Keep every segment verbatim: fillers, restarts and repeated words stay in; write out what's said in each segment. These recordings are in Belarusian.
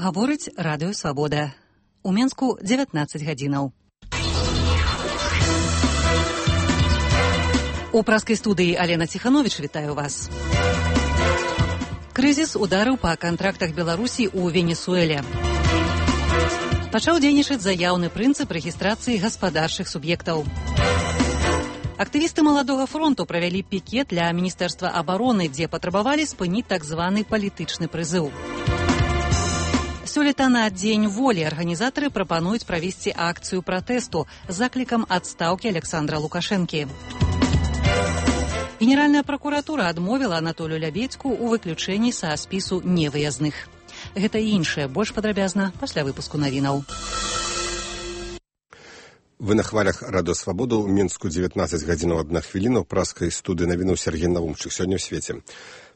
Гаворыць радыё «Свабода». У Менску дзевятнаццаць гадзінаў. У праскай студыі Алена Ціхановіч вітаю вас. Крызіс ударыў па кантрактах Беларусі ў Венесуэле. Пачаў дзейнічаць заяўны прынцып рэгістрацыі гаспадарчых суб'ектаў. Актывісты Маладога фронту правялі пікет для Міністэрства абароны, дзе патрабавалі спыніць так званы палітычны прызыў. Сёлета на Дзень волі арганізатары прапануюць правесці акцыю пратэсту з заклікам адстаўкі Александра Лукашэнкі. Генеральная пракуратура адмовіла Анатолію Лябедзьку ў выключэнні са спісу невыязных. Гэта і іншае больш падрабязна пасля выпуску навінаў. Вы на хвалях радыё «Свабода», у Мінску дзевятнаццаць гадзінаў адна хвіліна, ў праскай студыі навінаў Сергей Наумчык. Сёння ў свеце.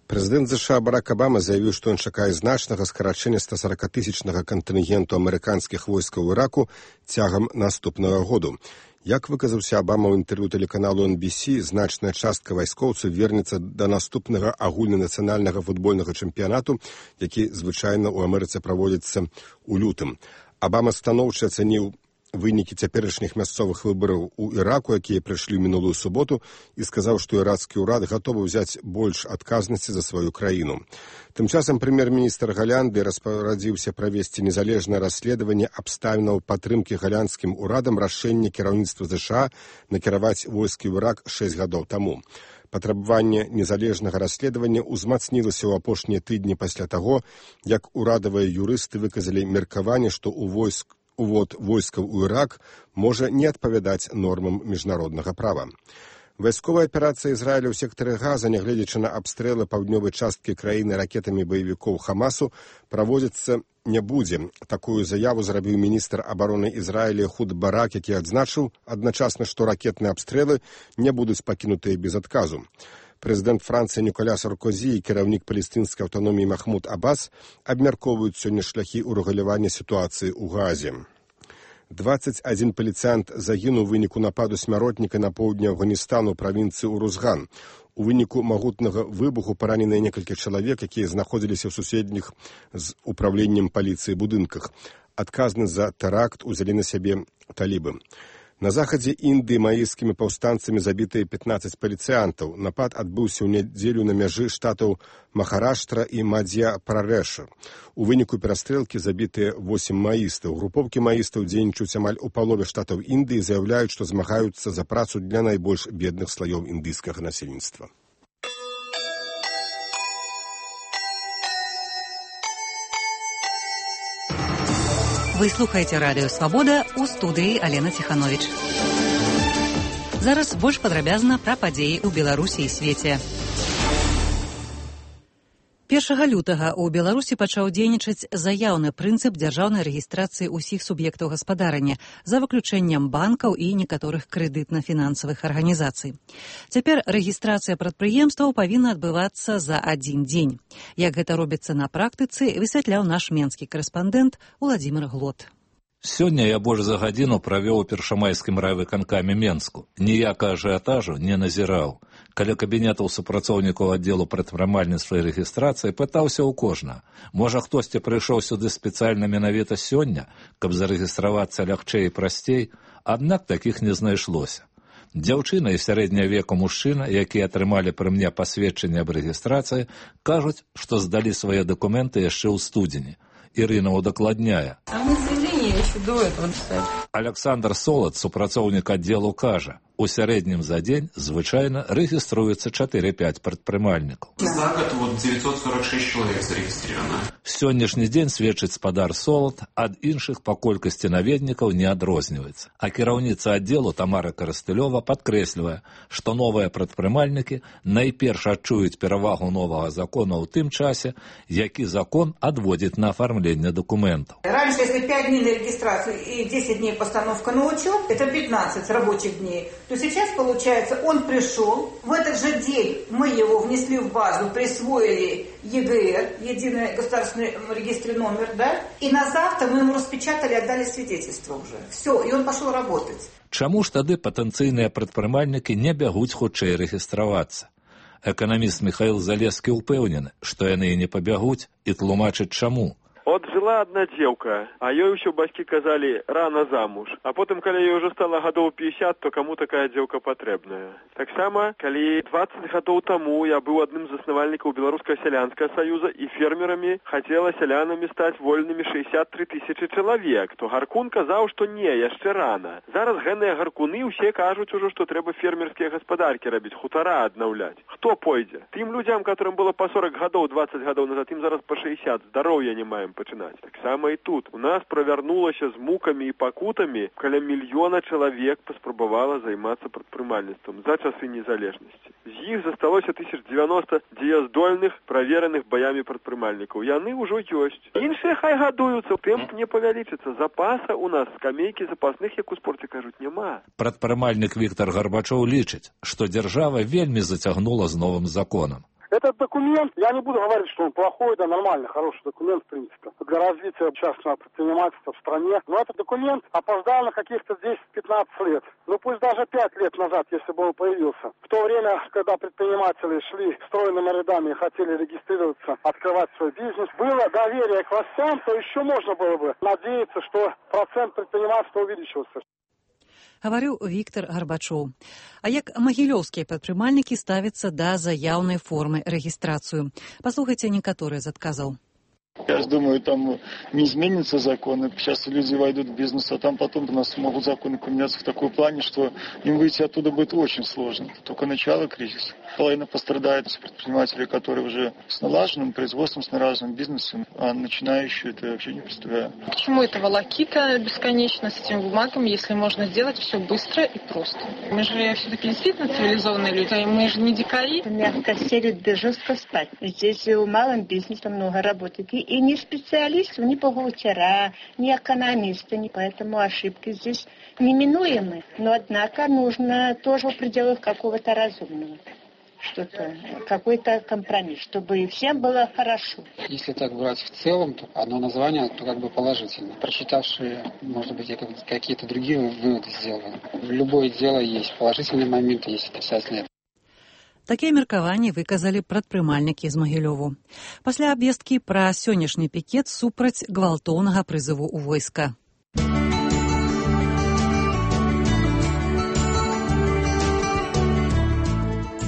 Прэзідэнт ЗША Барак Абама заявіў, што ён чакае значнага скарачэння стасаракатысячнага кантынгенту амерыканскіх войскаў у Іраку цягам наступнага году. Як выказаўся Абама ў інтэрв'ю тэлеканалу эн би сі, значная частка вайскоўцаў вернецца да наступнага агульнанацыянальнага футбольнага чэмпіянату, які звычайна ў Амерыцы праводзіцца ў лютым. Абама станоўча ацаніў вынікі цяперашніх мясцовых выбараў у Іраку, якія прыйшлі ў мінулую суботу, і сказаў, што ірацкі ўрад гатовы ўзяць больш адказнасці за сваю краіну. Тым часам прэм'ер-міністр Галянды распарадзіўся правесці незалежнае расследаванне абставінаў падтрымкі галянскім урадам рашэння кіраўніцтва ЗША накіраваць войскі ў Ірак шэсць гадоў таму. Патрабаванне незалежнага расследавання ўзмацнілася ў апошнія тыдні пасля таго, як урадавыя юрысты выказалі меркаванне, што ў войск увод войскаў у Ірак можа не адпавядаць нормам міжнароднага права. Вайсковая аперацыя Ізраіля ў сектары Газа, нягледзячы на абстрэлы паўднёвай часткі краіны ракетамі баевікоў Хамасу, праводзіцца не будзе. Такую заяву зрабіў міністр абароны Ізраіля Эхуд Барак, які адзначыў адначасна, што ракетныя абстрэлы не будуць пакінутыя без адказу. Прэзідэнт Францыі Ніколя Саркозі і кіраўнік палестынскай аўтаноміі Махмуд Аббас абмяркоўваюць сёння шляхі ўрэгулявання сітуацыі ў Газе. дваццаць адзін паліцыянт загінуў у выніку нападу смяротніка на поўдні Афганістану ў правінцыі Урузган. У выніку магутнага выбуху параненыя некалькі чалавек, якія знаходзіліся ў суседніх з управленнем паліцыі будынках. Адказнасць за тэракт узялі на сябе талібы. На захадзе Індыі маіскімі паўстанцамі забітыя пятнаццаць паліцыянтаў. Напад адбыўся ў нядзелю на мяжы штатаў Махараштра і Мадзья-Прадэша. У выніку перастрэлкі забітыя восем маістаў. Групоўкі маістаў дзейнічаюць амаль у палове штатаў Індыі, заяўляюць, што змагаюцца за працу для найбольш бедных слаёў індыйскага насельніцтва. Вы слухаеце радыё «Свабода», у студыі Алена Ціхановіч. Зараз больш падрабязна пра падзеі ў Беларусі і свеце. першага лютага ў Беларусі пачаў дзейнічаць заяўны прынцып дзяржаўнай рэгістрацыі ўсіх суб'ектаў гаспадарання за выключэннем банкаў і некаторых крэдытна-фінансавых арганізацый. Цяпер рэгістрацыя прадпрыемстваў павінна адбывацца за адзін дзень. Як гэта робіцца на практыцы, высвятляў наш менскі корэспандэнт Уладзімір Глот. Сёння я больш за гадзіну правёў у першамайскім райвыканкаме Менску. Ніякага ажыятажу не назіраў. Каля кабінетаў супрацоўнікаў аддзелу прадпрымальніцтва і рэгістрацыі пытаўся ў кожнага. Можа, хтосьці прыйшоў сюды спецыяльна менавіта сёння, каб зарэгістравацца лягчэй і прасцей, аднак такіх не знайшлося. Дзяўчына і сярэдняга веку мужчына, якія атрымалі пры мне пасведчанне аб рэгістрацыі, кажуць, што здалі свае дакументы яшчэ ў студзені. Ірына удакладняе. Александр Солод, супрацоўнік аддзелу, кажа, у сярэднім за дзень звычайна рэгіструецца чатыры-пяць прадпрымальнікаў. За год вот девятьсот сорок шесть человек зарегистрировано. Сённяшні дзень, сведчыць спадар Солод, ад іншых па колькасці наведнікаў не адрозніваецца. А кіраўніца аддзелу Тамара Карастылёва падкрэслівае, што новыя прадпрымальнікі найперш адчуюць перавагу новага закона ў тым часе, які закон адводзіць на афармленне дакументаў. Раньше, если пять дней на регистрацию и десять дней постановка на учет, это пятнадцать рабочих дней, то сейчас, получается, он пришел, в этот же день мы его внесли в базу, присвоили ЕГР, единый государственный регистр номер, да, и на завтра мы ему распечатали, отдали свидетельство уже. Все, и он пошел работать. Чаму ж тады патэнцыйныя прадпрымальнікі не бягуць хутчэй рэгістравацца? Эканаміст Михаил Залескі ўпэўнены, што яны і не пабягуць, і тлумачыць чаму. От жыла одна дзеўка, а ёй ўсё бацькі казалі рана замуж. А потым, калі ёй ўжо стала гадоў пятьдесят, то каму такая дзеўка патрэбная. Таксама, калі двадцать гадоў таму я быў адным з заснавальнікаў Беларускага сялянскага саюза і фермерамі хацела сялянамі стаць вольнымі шестьдесят три тысячи чалавек, то Гаркун казаў, што не, яшчэ рана. Зараз гэныя гаркуны ўсе кажуць ужо, што трэба фермерскія гаспадаркі рабіць, хутара аднаўляць. Хто пойдзе? Тым людзям, которым было па сорок гадоў, двадцать гадоў назад, ім зараз па шестьдесят, здароўя не маем пачынаць. Таксама і тут. У нас правярнулася з мукамі і пакутамі, каля мільёна чалавек паспрабавала займацца прадпрымальніцтвам за часы незалежнасці. З іх засталося тысяч девяносто дзеяздольных, правераных баямі прадпрымальнікаў. Яны ўжо ёсць. Іншыя хай гадуюцца, тэмп не павялічыцца. Запаса у нас, скамейкі запасных, як у спорце кажуць, няма. Прадпрымальнік Віктор Гарбачоў лічыць, што дзяржава вельмі зацягнула з новым законам. Этот документ, я не буду говорить, что он плохой, да нормальный, хороший документ, в принципе, для развития частного предпринимательства в стране. Но этот документ опоздал на каких-то десять-пятнадцать лет. Ну пусть даже пять лет назад, если бы он появился. В то время, когда предприниматели шли стройными рядами и хотели регистрироваться, открывать свой бизнес, было доверие к властям, то еще можно было бы надеяться, что процент предпринимательства увеличился. Гаварыў Віктор Гарбачоў. А як магілёўскія прадпрымальнікі ставяцца да заяўнай формы рэгістрацыю? Паслухайце некаторыя з адказаў. Я думаю, там не изменятся законы. Сейчас люди войдут в бизнес, а там потом у нас могут законы поменяться в такой плане, что им выйти оттуда будет очень сложно. Это только начало кризиса. Половина пострадает с предпринимателей, которые уже с налаженным производством, с налаженным бизнесом, а начинающие это вообще не представляю. Почему это волокита бесконечно с этими бумагами, если можно сделать все быстро и просто? Мы же все-таки действительно цивилизованные люди, мы же не дикари. Мягко селят, жестко спать. Здесь у малом бизнесе много работает. И ни специалистов, ни бухгалтера, ни экономисты, ни поэтому ошибки здесь неминуемы. Но, однако, нужно тоже в пределах какого-то разумного. Что-то, какой-то компромисс, чтобы всем было хорошо. Если так брать в целом, то одно название, то как бы положительно. Прочитавшие, может быть, какие-то другие выводы сделаны. Любое дело есть положительные моменты, есть отрицательные. Такія меркаванні выказалі прадпрымальнікі з Магілёву. Пасля абвесткі пра сённяшні пікет супраць гвалтоўнага прызыву ў войска.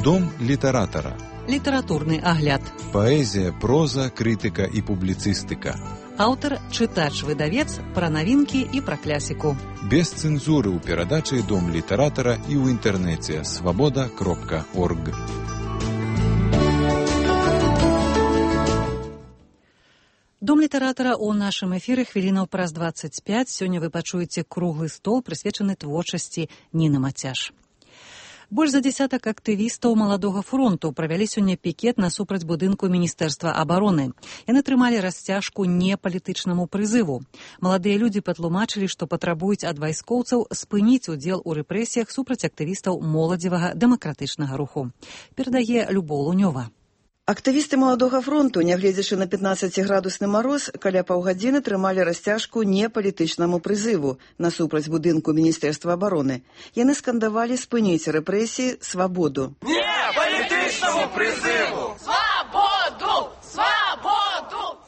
Дом літаратара. Літаратурны агляд. Паэзія, проза, крытыка і публіцыстыка. Аўтар, чытач-выдавец, пра навінкі і пра клясіку. Без цэнзуры ў перадачы Дом літаратара і ў інтэрнэце свабода кропка орг. Дом літаратара ў нашым эфіры хвілінаў праз дваццаць пяць. Сёння вы пачуеце круглы стол, прысвечаны творчасці Ніны Мацяш. Больш за дзесятак актывістаў маладога фронту правялі сёння пікет насупраць будынку Міністэрства абароны. Яны трымалі расцяжку не палітычнаму прызыву. Маладыя людзі патлумачылі, што патрабуюць ад вайскоўцаў спыніць удзел у рэпрэсіях супраць актывістаў моладзевага дэмакратычнага руху. Перадае Любоў Лунёва. Актывісты маладога фронту, нягледзячы на пятнаццаціградусны мароз, каля паўгадзіны трымалі расцяжку не палітычнаму прызыву насупраць будынку Міністэрства абароны. Яны скандавалі спыніць рэпрэсіі, свабоду. Не палітычнаму прызыву! Свабоду! Свабоду!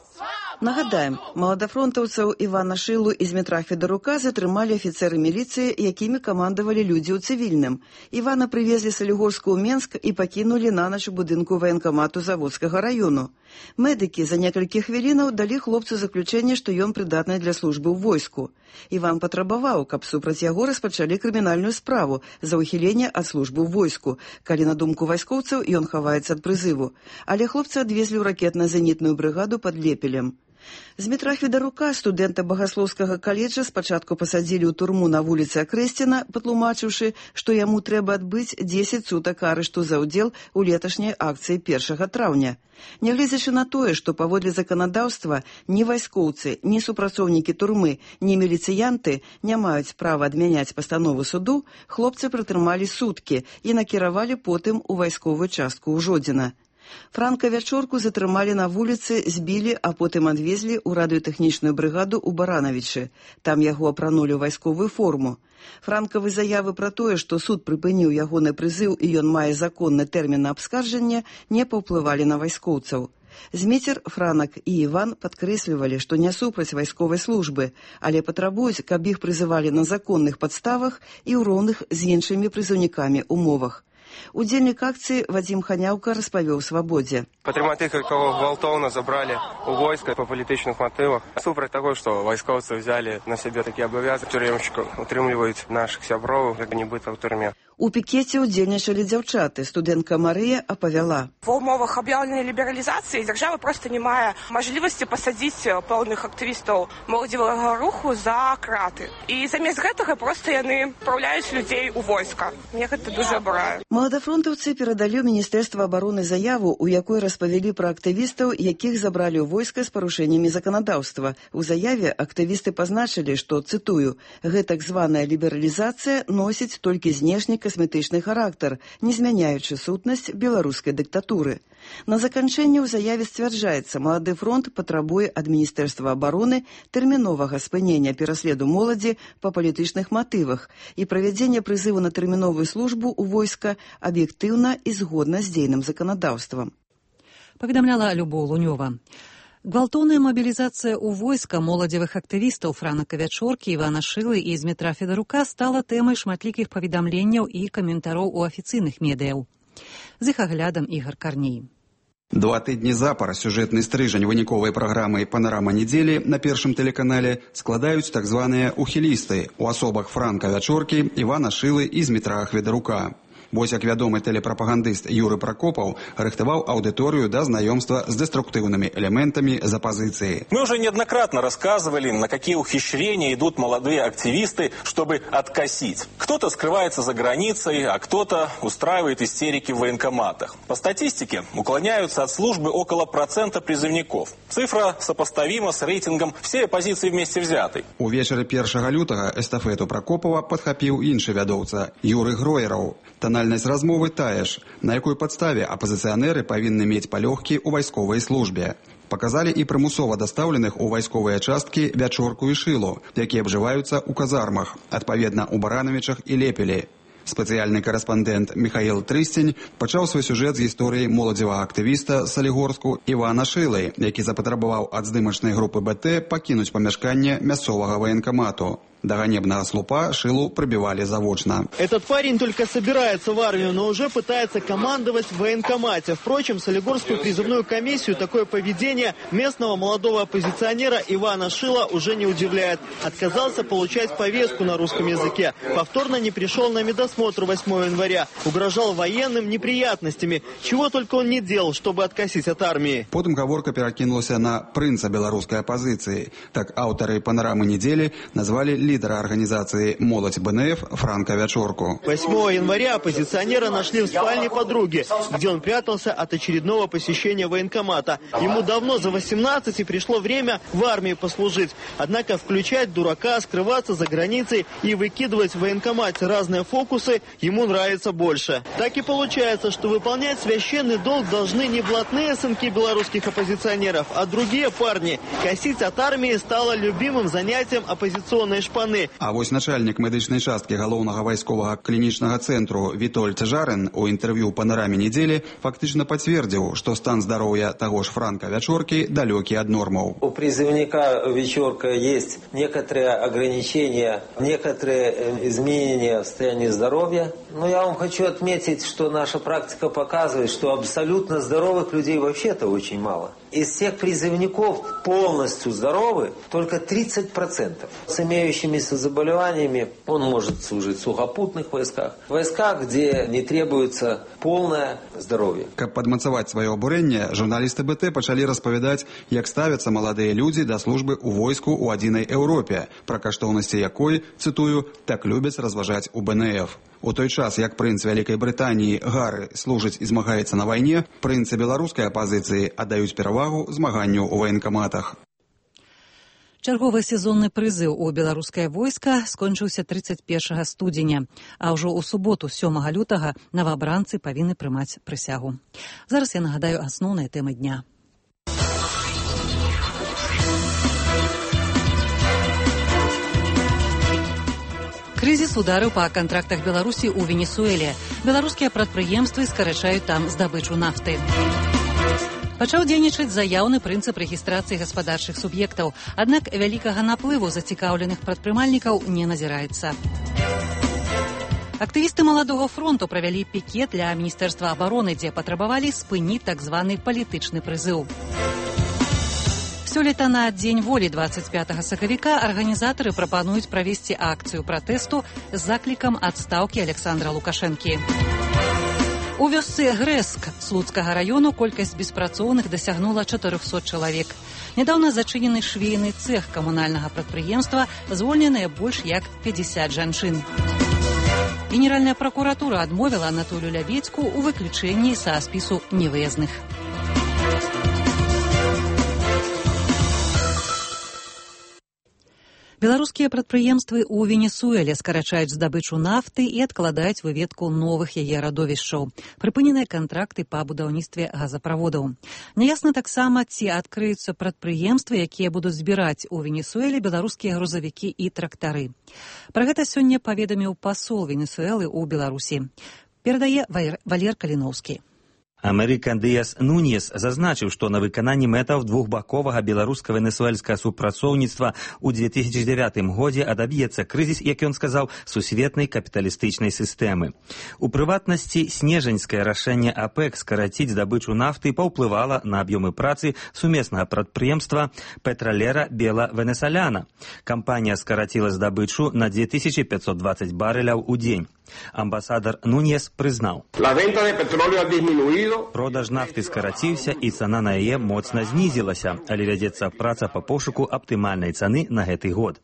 Нагадаем, маладафронтаўцаў Івана Шылу і Змітра Федарука затрымалі афіцэры міліцыі, якімі камандавалі людзі ў цывільным. Івана прывезлі з Салігорска ў Менск і пакінулі нанач у будынку ваенкамату Заводскага раёну. Медыкі за некалькі хвілінаў далі хлопцу заключэнне, што ён прыдатны для службы ў войску. Іван патрабаваў, каб супраць яго распачалі крымінальную справу за ўхіленне ад службы ў войску, калі на думку вайскоўцаў ён хаваецца ад прызыву. Але хлопца адвезлі ў ракетна-зенітную брыгаду пад Лепелем. Змітра Федарука, студэнта Багаслоўскага каледжа, спачатку пасадзілі ў турму на вуліцы Акрэсціна, патлумачыўшы, што яму трэба адбыць дзесяць сутак арышту за ўдзел у леташняй акцыі першага траўня. Нягледзячы на тое, што паводле заканадаўства ні вайскоўцы, ні супрацоўнікі турмы, ні міліцыянты не маюць права адмяняць пастанову суду, хлопцы прытрымалі суткі і накіравалі потым у вайсковую частку ў Жодзіна. Франка Вячорку затрымалі на вуліцы, збілі, а потым адвезлі ў радыётэхнічную брыгаду ў Баранавічы. Там яго апранулі ў вайсковую форму. Франкавы заявы пра тое, што суд прыпыніў ягоны прызыў і ён мае законны тэрмін на абскарджанне, не паўплывалі на вайскоўцаў. Зміцер, Франак і Іван падкрэслівалі, што не супраць вайсковай службы, але патрабуюць, каб іх прызывалі на законных падставах і ў роўных з іншымі прызыўнікамі умовах. Удзельнік акцыі Вадзім Ханяўка распавёў «Свабодзе». Падтрымаць тых, кого гвалтоўна забралі у войска па палітычных матывах. Супраць таго, што вайскоўцы взялі на сябе такі абавязак, тюрэмшчыкаў утрымліваюць нашых сяброў, як нібыта ў турме. У пікеце ўдзельнічалі дзяўчаты. Студэнтка Марыя апавяла. В умовах аб'яўленай лібералізацыі дзяржава проста не мае мажлівасці пасадзіць пэўных актывістаў моладзевага руху за краты. І замест гэтага проста яны адпраўляюць людзей у войска. Мне гэта дужа абурае. Маладафронтаўцы перадалі ў Міністэрства абароны заяву, у якой распавялі пра актывістаў, якіх забралі ў войска з парушэннямі заканадаўства. У заяве актывісты пазначылі, што, цытую, гэтак званая лібералізацыя носіць толькі знешні касметычны характар, не змяняючы сутнасць беларускай дыктатуры. На заканчэнне ў заяве сцвярджаецца, Малады фронт патрабуе ад Міністэрства абароны тэрміновага спынення пераследу моладзі па палітычных матывах і правядзення прызыву на тэрміновую службу ў войска аб'ектыўна і згодна з дзейным заканадаўствам. Паведамляла Любоў Лунёва. Гвалтоўная мабілізацыя ў войска моладзевых актывістаў Франака Вячоркі, Івана Шылы і Змітра Федарука стала тэмай шматлікіх паведамленняў і каментароў у афіцыйных медыяў. З іх аглядам Ігар Карней. Два тыдні запар сюжэтны стрыжань выніковай праграмы «Панарама недзелі» на першым тэлеканале складаюць так званыя ухілісты у асобах Франка Вячоркі, Івана Шылы і Змітра Федарука. Вось як вядомы тэлепрапагандыст Юры Прокопаў рыхтаваў аўдыторыю да знаёмства з деструктивными элементами з оппозиции. Мы уже неоднократно рассказывали, на какие ухищрения идут молодые активисты, чтобы откосить. Кто-то скрывается за границей, а кто-то устраивает истерики в военкоматах. По статистике уклоняются от службы около процента призывников. Цифра сопоставима с рейтингом всей оппозиции вместе взятой. Увечары першага лютага эстафету Прокопова падхапіў іншы вядоўца Юры Гроераў. Танальнасць размовы тая ж, на якой падставе апозіцыянеры павінны мець палёгкі ў вайсковай службе. Показалі і прымусова дастаўленых у вайсковыя часткі Вячорку і Шылу, якія абжываюцца ў казармах, адпаведна ў Баранавічах і Лепелі. Спецыяльны карэспандэнт Михаил Трыстень пачаў свой сюжэт з гісторыі моладзевага актывіста Салігорску Івана Шылы, які запатрабаваў ад здымачнай групы БТ пакінуць памяшканне мясцовага военкомату. До ганебного слупа Шилу пробивали заочно. Этот парень только собирается в армию, но уже пытается командовать в военкомате. Впрочем, Солигорскую призывную комиссию такое поведение местного молодого оппозиционера Ивана Шила уже не удивляет. Отказался получать повестку на русском языке. Повторно не пришел на медосмотр восьмого января. Угрожал военным неприятностями. Чего только он не делал, чтобы откосить от армии. Потом гаворка перакинулась на принца белорусской оппозиции. Так авторы «Панорамы недели» назвали лидера организации «Молодь БНФ» Франка Вячорку. восьмого января оппозиционера нашли в спальне подруги, где он прятался от очередного посещения военкомата. Ему давно за восемнадцать и пришло время в армии послужить. Однако включать дурака, скрываться за границей и выкидывать в военкомате разные фокусы ему нравится больше. Так и получается, что выполнять священный долг должны не блатные сынки белорусских оппозиционеров, а другие парни. Косить от армии стало любимым занятием оппозиционной шпаны. А вось начальник медычнай часткі галоўнага вайсковага клінічнага цэнтру Вітольд Жарын у інтэрв'ю «Панараме недели» фактично подтвердил, что стан здоровья того ж Франка Вячорки далекий от нормов. У призывника Вячорка есть некоторые ограничения, некоторые изменения в состоянии здоровья. Но я вам хочу отметить, что наша практика показывает, что абсолютно здоровых людей вообще-то очень мало. Из всех призывников полностью здоровы только тридцать процентов. С имеющимися заболеваниями он может служить в сухопутных войсках, в войсках, где не требуется полное здоровье. Каб падмацаваць сваё абурэнне, журналісты БТ пачалі распавядаць, як ставяцца маладыя людзі да службы ў войску ў адзінай Еўропе, пра каштоўнасці якой, цытую, так любяць разважаць у БНФ. У той час, як прынц Вялікай Брытаніі Гары служыць і змагаецца на вайне, прынцы беларускай апазіцыі аддаюць перавагу змаганню ў военкаматах. Чарговы сезонны прызыў у беларускае войска скончыўся тридцать першага студзеня, а ўжо ў суботу сёмага лютага новабранцы павінны прымаць прысягу. Зараз я нагадаю асноўныя тэмы дня. Крызіс ударыў па кантрактах Беларусі ў Венесуэле. Беларускія прадпрыемствы скарачаюць там здабычу нафты. Пачаў дзейнічаць заяўны прынцып рэгістрацыі гаспадарчых суб'ектаў, аднак вялікага наплыву зацікаўленых прадпрымальнікаў не назіраецца. Актывісты маладога фронту правялі пікет для міністэрства абароны, дзе патрабавалі спыніць так званы палітычны прызыў. Сёлета на Дзень волі двадцать пятага сакавіка арганізатары прапануюць правесці акцыю пратэсту з заклікам адстаўкі Александра Лукашэнкі. У вёсцы Грэск Слуцкага раёну колькасць беспрацоўных дасягнула чатырохсот чалавек. Нядаўна зачынены швейны цэх камунальнага прадпрыемства, звольненыя больш як пятьдесят жанчын. Генеральная прокуратура адмовіла Анатолію Лябедзьку ў выключэнні са спісу невыязных. Беларускія прадпрыемствы ў Венесуэле скарачаюць здабычу нафты і адкладаюць выведку новых яе радовішчаў. Прыпыненыя кантракты па будаўніцтве газаправодаў. Няясна таксама, ці адкрыюцца прадпрыемствы, якія будуць збіраць у Венесуэле беларускія грузавікі і трактары. Пра гэта сёння паведаміў пасол Венесуэлы ў Беларусі. Перадае Валер Каліноўскі. Амерыкан Дыяс Нуньес зазначыў, што на выкананні мэтаў двухбаковага беларуска-венесуэльскага супрацоўніцтва ў две тысячи дзевятым годзе адаб'ецца крызіс, як ён сказаў, сусветнай капіталістычнай сістэмы. У прыватнасці, снежаньскае рашэнне АПЭК скараціць здабычу нафты паўплывала на аб'ёмы працы сумеснага прадпрыемства Петролера Бела Венесаляна. Кампанія скараціла здабычу на две тысячи пятьсот двадцать барэляў у дзень. Амбасадар Нуньес прызнаў: продаж нафты скараціўся і цана на яе моцна знізілася, але вядзецца праца па пошуку аптымальнай цаны на гэты год.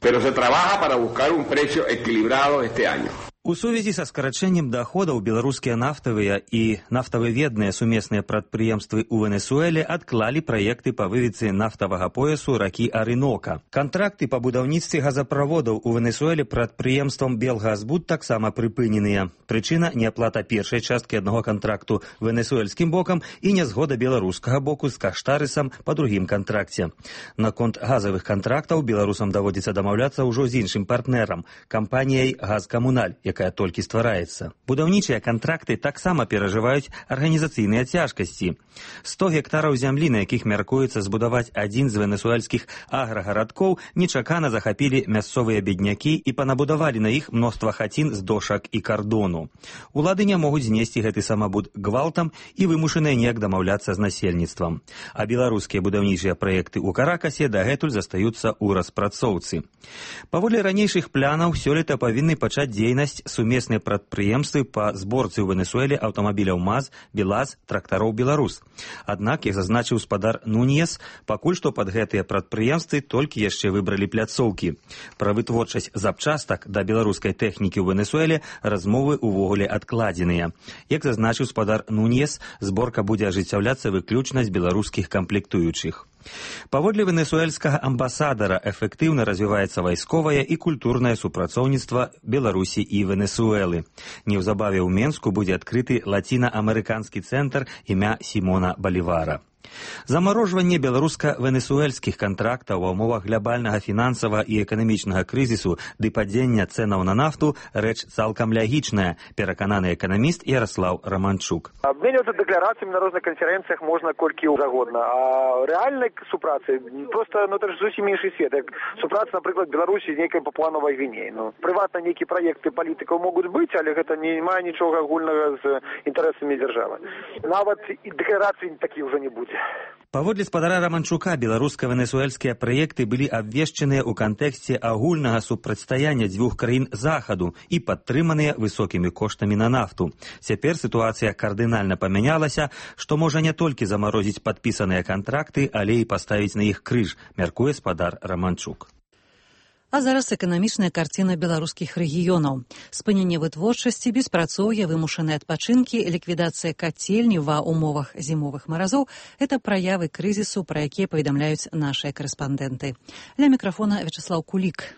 У сувязі са скарачэннем даходаў беларускія нафтавыя і нафтавыведныя сумесныя прадпрыемствы ў Венесуэле адклалі праекты па выведцы нафтавага поясу ракі Арынока. Кантракты па будаўніцтве газаправодаў у Венесуэле прадпрыемствам Белгазбуд таксама прыпыненыя. Прычына – неаплата першай часткі аднаго кантракту венесуэльскім бокам і нязгода беларускага боку з каштарысам па другім кантракце. Наконт газавых кантрактаў беларусам даводзіцца дамаўляцца ўжо з іншым партнерам – кампаніяй «Газкамуналь», якая толькі ствараецца. Будаўнічыя кантракты таксама перажываюць арганізацыйныя цяжкасці. сто гектараў зямлі, на якіх мяркуецца збудаваць адзін з венесуэльскіх аграгарадкоў, нечакана захапілі мясцовыя беднякі і панабудавалі на іх мноства хацін з дошак і кардону. Улады не могуць знесці гэты самабуд гвалтам і вымушаныя неяк дамаўляцца з насельніцтвам. А беларускія будаўнічыя праекты ў Каракасе дагэтуль застаюцца ў распрацоўцы. Паводле ранейшых планаў, сёлета павінны пачаць дзейнасць сумесныя прадпрыемствы па зборцы ў Венесуэле аўтамабіляў МАЗ, БелАЗ, трактароў «Беларус». Аднак, як зазначыў спадар Нуньес, пакуль што пад гэтыя прадпрыемствы толькі яшчэ выбралі пляцоўкі. Пра вытворчасць запчастак да беларускай тэхнікі ў Венесуэле размовы увогуле адкладзеныя. Як зазначыў спадар Нуньес, зборка будзе ажыццяўляцца выключна з беларускіх камплектуючых. Паводле венесуэльскага амбасадара эфектыўна развіваецца вайсковае і культурнае супрацоўніцтва Беларусі і Венесуэлы. Неўзабаве ў Менску будзе адкрыты лаціна-амерыканскі цэнтр імя Сімона Балівара. Замарожванне беларуска-венесуэльскіх кантрактаў ва ўмовах глобальнага фінансавага і эканамічнага крызісу ды падзення цэнаў на нафту рэч цалкам лягічная, перакананы эканаміст Ярослав Романчук. Абменьвацца дэкларацыямі на розных канферэнцыях можна колькі загодна, а рэальнай супрацы проста ну это ж зусім іншы свет. Як супраца, напрыклад, Беларусі нейкай Папуа-Новай Гвінеі. Ну прыватна нейкія праекты палітыкаў могуць быць, але гэта не мае нічога агульнага з інтарэсамі дзяржавы. Нават і дэкларацый такіх ўжо не будзе. Паводле спадара Романчука, беларуска-венесуэльскія праекты былі абвешчаныя ў кантэксце агульнага супрацьстаяння дзвюх краін захаду і падтрыманыя высокімі коштамі на нафту. Цяпер сітуацыя кардынальна памянялася, што можа не толькі замарозіць падпісаныя кантракты, але і паставіць на іх крыж, мяркуе спадар Романчук. А зараз эканамічная карціна беларускіх рэгіёнаў. Спыненне вытворчасці, беспрацоўе, вымушаныя адпачынкі, ліквідацыя кацельні ва ўмовах зімовых маразоў – гэта праявы крызісу, пра якія паведамляюць нашыя карэспандэнты. Ля мікрафона Вячеслав Кулік.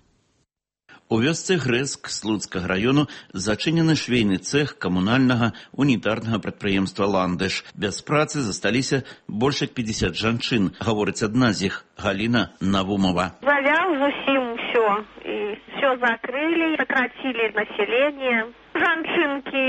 У вёсцы Грэск Слуцкага раёну зачынены швейны цэх камунальнага унітарнага прадпрыемства «Ландыш». Без працы засталіся больш як пятьдесят жанчын, гаворыць адна з іх, Галина Навумова. Завял зусім все, и все закрыли, сократили население. Жанчынки,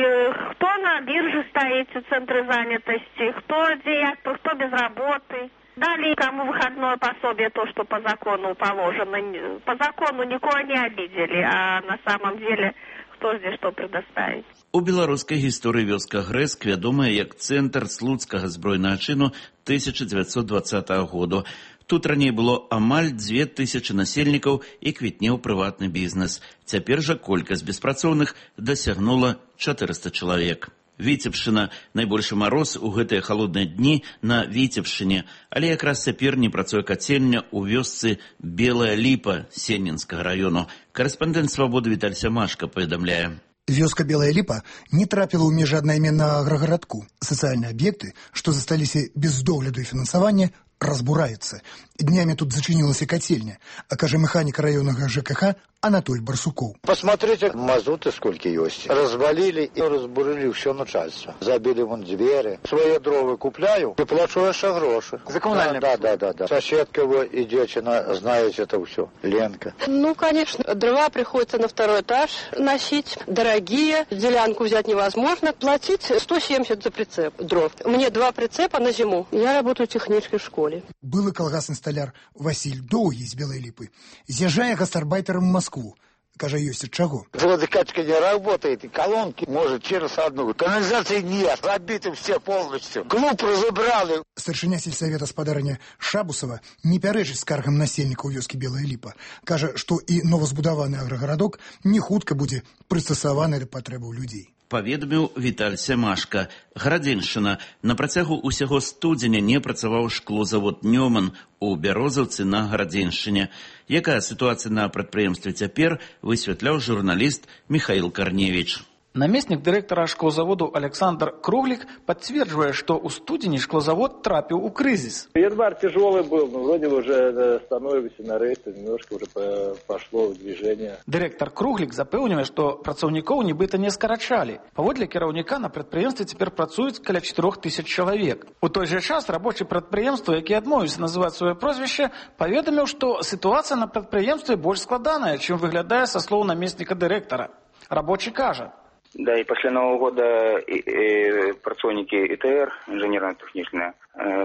кто на бирже стоит в центре занятости, кто директор, кто без работы. Дали кому выходное пособие, то, что по закону положено. По закону никого не обидели, а на самом деле кто здесь что предоставить. У беларускай гісторыі вёска Грэск вядомая як цэнтр слуцкага збройнага чыну тысяча девятьсот двадцатого году. Тут раней было амаль дзве тысячы насельнікаў і квітнеў прыватны бізнес. Цяпер жа колькасць беспрацоўных дасягнула чатырыста чалавек. Віцебшчына – найбольшы мароз у гэтыя халодныя дні на Віцебшчыне, але якраз цяпер не працуе кацельня ў вёсцы Белая Ліпа Сеннінскага раёну. Карэспандэнт «Свабоды» Віталь Сямашка паведамляе. Вёска Белая Ліпа не трапіла ў межы аднайменнага аграгарадку. Сацыяльныя аб'екты, што засталіся без догляду і фінансавання, разбураюцца. Днями тут зачинилась котельня, а каже механик районного ЖКХ Анатоль Барсуков. Посмотрите, мазуты сколько есть. Развалили и разбурили все начальство. Забили вон двери. Свои дрова купляю и плачу еще гроши. За коммунальные? Да, да, да, да. Соседка вы и девчина, знаете это все. Ленка. Ну, конечно, дрова приходится на второй этаж носить. Дорогие, делянку взять невозможно. Платить сто семьдесят за прицеп дров. Мне два прицепа на зиму. Я работаю техничкой в школе. Был и колгасный столяр Василь Доугий из Белой Липы. З'езжая гастарбайтером в Москву. Каже, есть от чего. Водокачка не работает, и колонки может через одну. Канализации нет, забиты все полностью. Клуб разобрали. Старшиня сельсовета спадарня Шабусова не пярэчыць скаргам насельніка ў вёскі Белая Ліпа. Кажа, што і новазбудаваны аграгарадок не хутка будзе прыстасаваны да патрэбаў людзей. Паведаміў Віталь Сямашка. Градзеншчына. На працягу ўсяго студзеня не працаваў шклозавод «Нёман» у Бярозаўцы на Градзеншчыне. Якая сітуацыя на прадпрыемстве цяпер, высвятляў журналіст Михаил Корневич. Наместник директора шклозаводу Александр Круглик подтверждает, что у студени шклозавод трапил у кризис. Январь тяжелый был, но вроде уже становимся на рейсы, немножко уже пошло в движение. Директор Круглик запевнює, что працовников нібито не скорочали. Поводле керівника на підприємстві тепер працюють каля чотирьох тисяч чоловік. У той же час робочі підприємства, які відмовились називати своє прізвище, повідомив, що ситуація на підприємстві більш складана, чим виглядає со слов наместника директора. Робочий каже. Да, и после Нового года и, и, працовники ИТР, инженерно-технічне,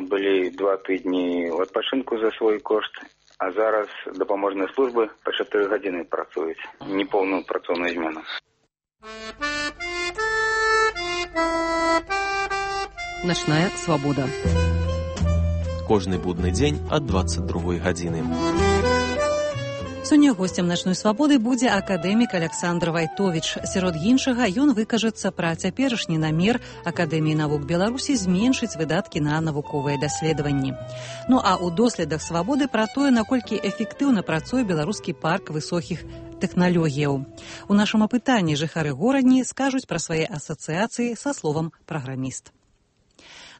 были два-три дні в відпочинку за свой кошт, а зараз допоможні служби по чотири години працюють, неповну працовну зміну. Ночная свобода. Кожны будны дзень ад двадцать другой гадзіны. Сёння госцем начной свабоды будзе акадэмік Александр Вайтович. Сярод іншага ён выкажацца пра цяперашні намер Акадэміі навук Беларусі зменшыць выдаткі на навуковыя даследаванні. Ну а ў доследах свабоды пра тое, наколькі эфектыўна працуе беларускі парк высокіх тэхналогіяў. У нашым апытанні жыхары горадні скажуць пра свае асацыяцыі са словам праграміст.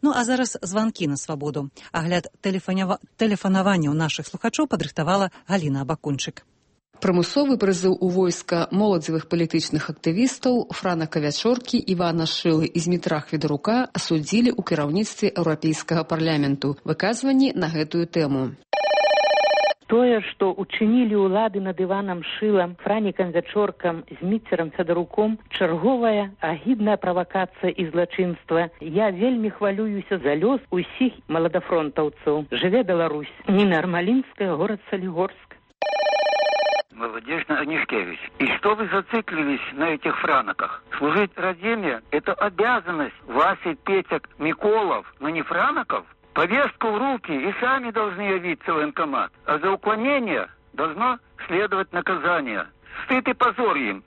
Ну а зараз званкі на свабоду. Агляд тэлефанава... тэлефанавання ў нашых слухачоў падрыхтавала Галіна Абакунчык. Прымусовы прызыў у войска моладзевых палітычных актывістаў Франака Вячоркі, Івана Шылы і Змітра Хведарука асудзілі ў кіраўніцтве Еўрапейскага парламенту. Выказванні на гэтую тэму. Тое, што учынілі ўлады над Іванам Шылам, Франікам Вячоркам, Зміцерам Федаруком, чарговая агідная правакацыя і злачынства. Я вельмі хвалююся за лёс усіх маладафронтаўцаў. Жыве Беларусь. Ніна Армалінская, горад Солігорск. Молодежна Анишкевич, и что вы зациклились на этих франаках? Служить Родине – это обязанность Васи, Петек, Миколов, но не франаков? Повестку в руки и сами должны явиться в военкомат. А за уклонение должно следовать наказание. Стыд и позор им.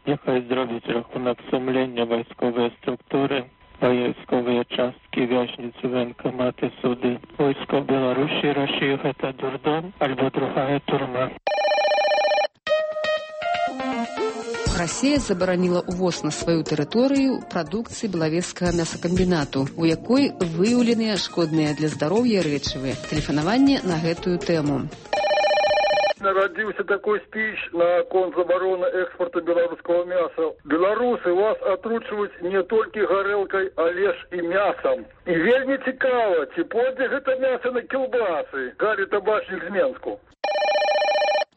Нехай зробить рахунок сумління військової структури, військові частки, в'язниці, воєнкомати, суди. Військо Білорусі, Росії – це дурдом, або другая турма. Расія забараніла ўвоз на сваю тэрыторыю прадукцыі белавежскага мясакамбінату, у якой выяўленыя шкодныя для здароўя рэчывы. Тэлефанаванне на гэтую тэму. Народился такой спич на конт забороны экспорта белорусского мяса. Белорусы вас отручивают не только горелкой, а лишь и мясом. И вельми цікаво, ці пойдзе гэта мясо на кілбасы, Гарри Табачник з Менску.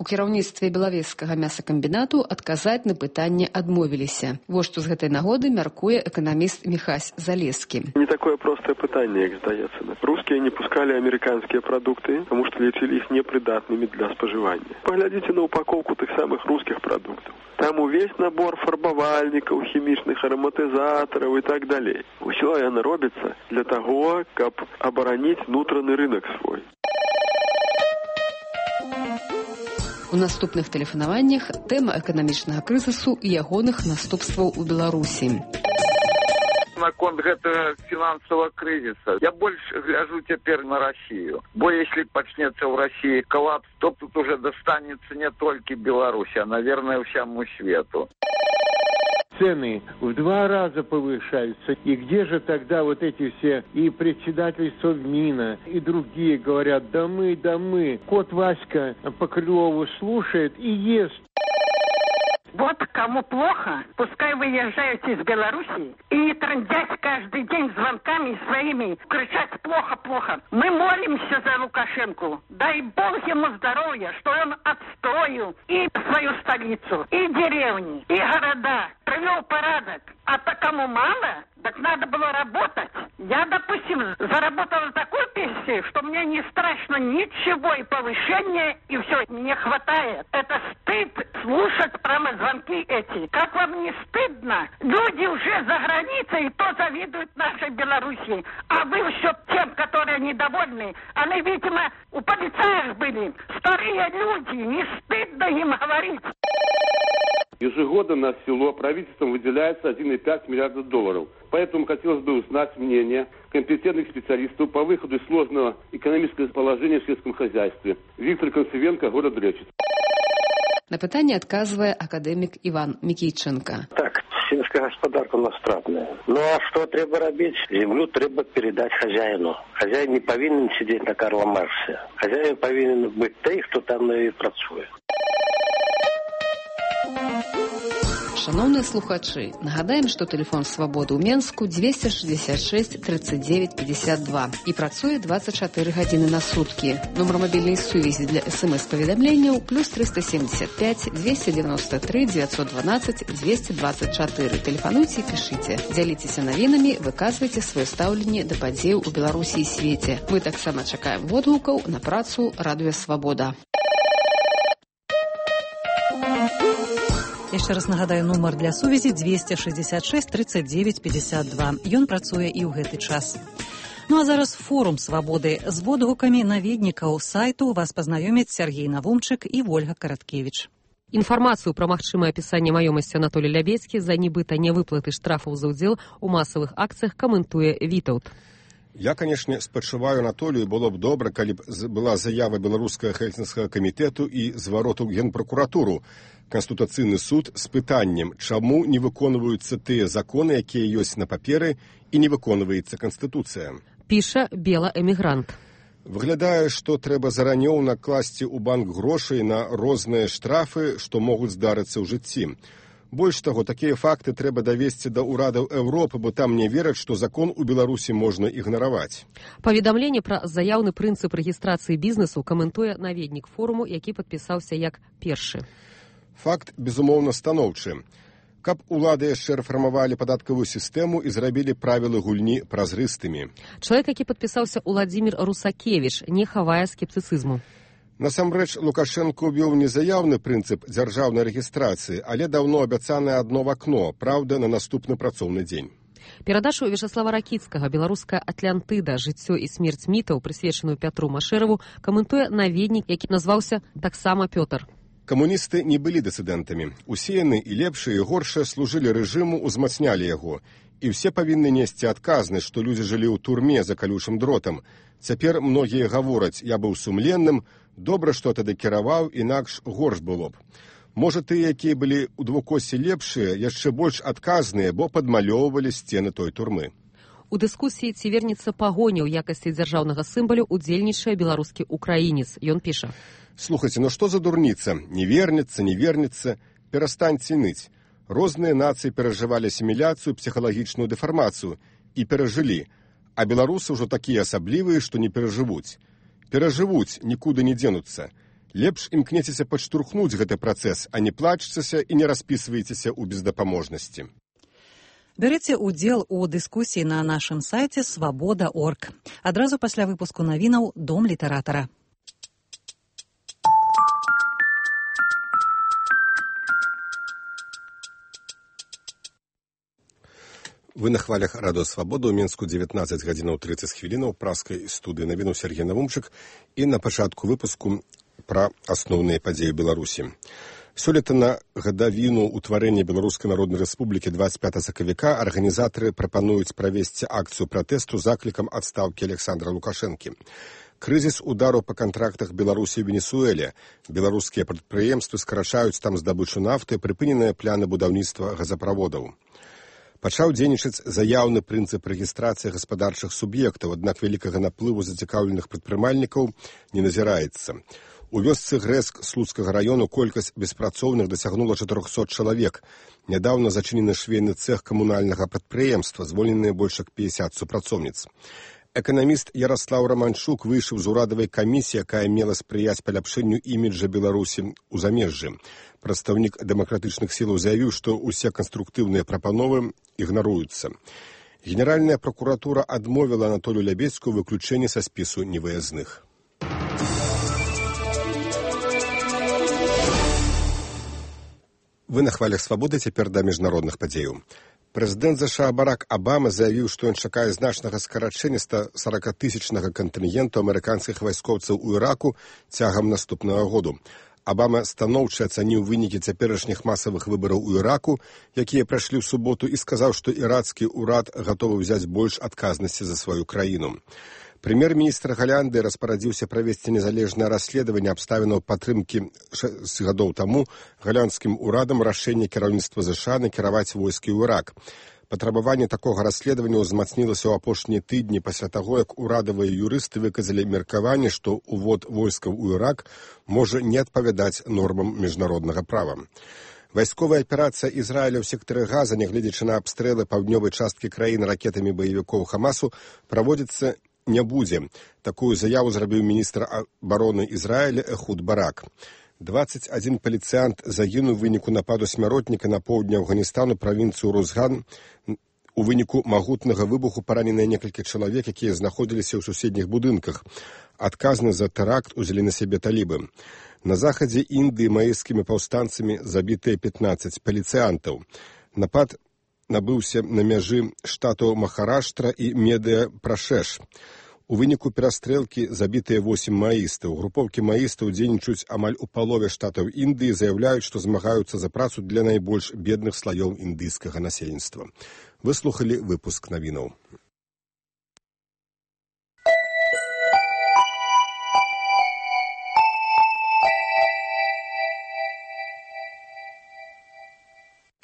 У кіраўніцтве белавежскага мясакамбінату адказаць на пытанне адмовіліся. Вось што з гэтай нагоды мяркуе эканаміст Михась Залескі. Не такое простое пытанне, як здаецца. Русские не пускали американские продукты, потому что лічылі іх непридатными для споживания. Поглядите на упаковку тых самых русских продуктов. Там увесь набор фарбавальников, хімічных ароматизаторов и так далее. Усё яно робіцца для того, каб абараніць внутренний рынок свой. У наступных тэлефанаваннях тэма эканамічнага крызісу і ягоных наступстваў у Беларусі. Наконт гэтага фінансавага крызіса я больш гляжу цяпер на Россию. Бо если пачнецца ў России коллапс, то тут уже достанется не только Беларуси, а, наверное, всему свету. Цены в два раза повышаются. И где же тогда вот эти все и председатель Совмина, и другие говорят, да мы, да мы. Кот Васька по Крылову слушает и ест. Вот кому плохо, пускай выезжают из Беларуси и не трындять каждый день звонками своими, кричать плохо-плохо. Мы молимся за Лукашенко. Дай Бог ему здоровья, что он отстроил и свою столицу, и деревни, и города, привел порядок. А то кому мало, так надо было работать. Я, допустим, заработала такую пенсию, что мне не страшно ничего, и повышения, и все, мне хватает. Это стыд слушать прямо звонки эти. Как вам не стыдно? Люди уже за границей, и то завидуют нашей Белоруссии. А вы все тем, которые недовольны, они, видимо, у полицаев были. Старые люди, не стыдно им говорить. Ежегодно на село правительством выделяется один и пять миллиардов долларов. Поэтому хотелось бы узнать мнение компетентных специалистов по выходу из сложного экономического положения в сельском хозяйстве. Виктор Концевенко, город Речи. На пытанне адказвае акадэмік Іван Мікійченка. Так, сельская гаспадарка у нас стратная. Ну а что треба робить? Землю треба передать хозяину. Хозяин не повинен сидеть на Карла Марксе. Хозяин повинен быть той, кто там и працуе. Шановныя слухачы, нагадаем, што тэлефон свабоды ў Менску двести шестьдесят шесть тридцать девять пятьдесят два і працуе двадцать четыре гадзіны на суткі. Нумар мабільнай сувязі для смс-паведамленняў плюс триста семьдесят пять двести девяносто три девятьсот двенадцать двести двадцать четыре. Тэлефануйце і пішыце. Дзяліцеся навінамі, выказвайце сваё стаўленне да падзеяў у Беларусі і свеце. Мы таксама чакаем водгукаў на працу Радыё Свабода. Яшчэ раз нагадаю, нумар для сувязі двести шестьдесят шесть тридцать девять пятьдесят два. Ён працуе і ў гэты час. Ну а зараз форум свабоды. З водгукамі наведнікаў сайту вас пазнаёмяць Сергей Навумчык і Вольга Караткевіч. Інфармацыю пра магчымае апісанне маёмасці Анатолий Лябецкі за нібыта невыплаты штрафаў за ўдзел у масавых акцыях каментуе Вітаўт. Я, конечно, спачуваю Анатолію, было б добра, калі б была заява беларускага хельсінскага камітэту і звароту генпракуратуру. Конституцыйны суд з пытаннем, чаму не выконваюцца тыя законы, якія ёсць на паперы, і не выконваецца Канстытуцыя. Піша бела-эмігрант. Выглядае, што трэба заранёў накласці ў банк грошай на розныя штрафы, што могуць здарыцца ў жыцці. Больш таго, такія факты трэба давесці да ўрадаў Еўропы, бо там не вераць, што закон у Беларусі можна ігнараваць. Паведамленне пра заяўны прынцып рэгістрацыі бізнесу каментуе наведнік форуму, які падпісаўся як першы. Факт, безумоўна, станоўчы. Каб улады яшчэ рэфармавалі падаткавую сістэму і зрабілі правілы гульні празрыстымі. Чалавек, які падпісаўся Уладзімір Русакевіч, не хавае скептыцызму. Насамрэч, Лукашенко ўвёў не заяўны прынцып дзяржаўнай рэгістрацыі, але даўно абяцанае адно вакно, праўда, на наступны працоўны дзень. Перадачу Вячаслава Ракіцкага «Беларуская Атлантыда. Жыццё і смерць мітаў», прысвечаную Пятру Машэраву, каментуе наведнік, які назваўся таксама Пётр. Камуністы не былі дысідэнтамі. Усе яны, і лепшыя, і горшыя, служылі рэжыму, узмацнялі яго. І ўсе павінны несці адказнасць, што людзі жылі ў турме за калючым дротам. Цяпер многія гавораць, я быў сумленным, добра, што тады кіраваў, інакш горш было б. Можа, тыя, якія былі ў двукосе лепшыя, яшчэ больш адказныя, бо падмалёўвалі сцены той турмы. У дыскусіі, ці вернецца пагоня ў якасці дзяржаўнага сімвалю, удзельнічае беларускі украінец. Ён піша. Слухайте, ну што за дурніца? Не вернецца, не вернецца. Перастаньце ныць. Розныя нацыі перажывалі асіміляцыю, псіхалагічную дэфармацыю і перажылі. А беларусы ўжо такія асаблівыя, што не перажывуць. Перажывуць, нікуды не дзенуцца. Лепш імкнецеся падштурхнуць гэты працэс, а не плачцеся і не распісвайцеся ў бездапаможнасці. Бярыце ўдзел у дыскусіі на нашым сайце свабода точка орг. Адразу пасля выпуску навінаў «Дом літаратара». Вы на хвалях радыё «Свабода» ў Мінску дзевятнаццаць гадзінаў трыццаць хвілінаў праскай студыі навіну Сергей Навумчык і на пачатку выпуску пра асноўныя падзеі Беларусі. Сёлета на гадавіну ўтварэння Беларускай Народнай Рэспублікі дваццаць пятага сакавіка арганізатары прапануюць правесці акцыю пратэсту з заклікам адстаўкі Александра Лукашэнкі. Крызіс удару па кантрактах Беларусі і Венесуэле. Беларускія прадпрыемствы скарачаюць там здабычу нафты, прыпыненыя пляны будаўніцтва газаправодаў. Пачаў дзейнічаць заяўны прынцып рэгістрацыі гаспадарчых суб'ектаў, аднак вялікага наплыву зацікаўленых прадпрымальнікаў не назіраецца. У вёсцы Грэск Слуцкага раёну колькасць беспрацоўных дасягнула чатырохсот чалавек. Нядаўна зачынены швейны цэх камунальнага прадпрыемства, звольненыя больш як пятьдесят супрацоўніц. Эканаміст Ярослаў Раманчук выйшаў з урадавай камісіі, якая мела спрыяць паляпшэнню іміджа Беларусі ў замежжы. Прадстаўнік дэмакратычных сілаў заявіў, што ўсе канструктыўныя прапановы ігнаруюцца. Генеральная пракуратура адмовіла Анатолію Лябедзьку выключэнне са спісу невыязных. Вы на хвалях свабоды, цяпер да міжнародных падзеяў. Прэзідэнт ЗША Барак Абама заявіў, што ён чакае значнага скарачэння ста сорокатысячнага кантынгенту амерыканскіх вайскоўцаў у Іраку цягам наступнага году. Абама станоўча ацаніў вынікі цяперашніх масавых выбараў у Іраку, якія прайшлі ў суботу, і сказаў, што ірацкі ўрад гатовы ўзяць больш адказнасці за сваю краіну. Прэм'ер-міністр Галянды распарадзіўся правесці незалежнае расследаванне абставінаў падтрымкі шэсць гадоў таму галандскім урадам рашэння кіраўніцтва ЗША накіраваць войскі ў Ірак. Патрабаванне такога расследавання ўзмацнілася ў апошнія тыдні пасля таго, як урадавыя юрысты выказалі меркаванне, што увод войскаў у Ірак можа не адпавядаць нормам міжнароднага права. Вайсковая аперацыя Ізраіля ў сектары Газа, нягледзячы на абстрэлы паўднёвай часткі краіны ракетамі баевікоў Хамасу, праводзіцца не будзе. Такую заяву зрабіў міністр абароны Ізраіля Эхуд Барак. дваццаць адзін паліцыянт загінуў у выніку нападу смяротніка на поўдні Афганістану, правінцыю Рузган. У выніку магутнага выбуху параненыя некалькі чалавек, якія знаходзіліся ў суседніх будынках. Адказны за тэракт узялі на сябе талібы. На захадзе Індыі маэйскімі паўстанцамі забітыя пятнаццаць паліцыянтаў. Напад набыўся на мяжы штатаў Махараштра і Медыя-Прашэш. У выніку перастрэлкі забітыя восем маістаў. Групоўкі маістаў дзейнічаюць амаль у палове штатаў Індыі, заяўляюць, што змагаюцца за працу для найбольш бедных слаёў індыйскага насельніцтва. Выслухалі выпуск навінаў.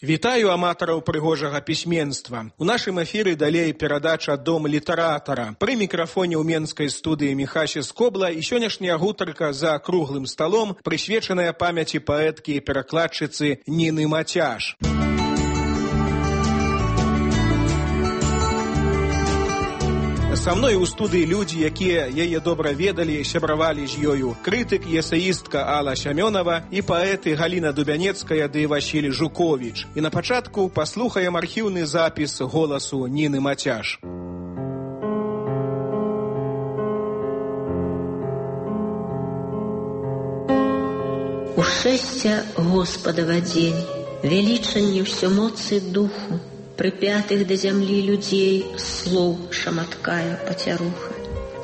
Вітаю аматараў прыгожага пісьменства. У нашым эфіры далей перадача «Дом літаратара». Пры мікрафоне ў менскай студыі Міхасі Скобла і сённяшняя гутарка за круглым сталом, прысвечаная памяці паэткі і перакладчыцы Ніны Мацяш. Са мной у студыі людзі, якія яе добра ведалі, сябравалі з ёю. Крытык і эсеістка Алла Сямёнова і паэты Галіна Дубянецкая ды Васіль Жуковіч. І на пачатку паслухаем архіўны запіс голасу Ніны Мацяш. Ушэсця Господава дзень, велічанне ўсё моцы духу, припятых до земли людей слов шаматкая потеруха.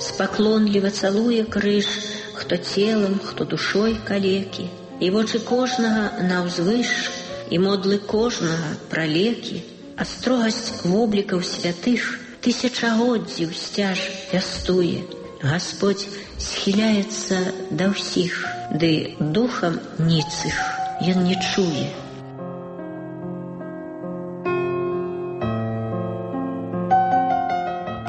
Споклонливо целуя крыш, кто телом, кто душой калеки, и вочы кожнага навзвыш, и модлы кожнага пралеки, а строгость воблікаў святых тысячагоддзіў сцяж вястуе. Господь схиляется до всіх, ды духом ніцых ён не чуе.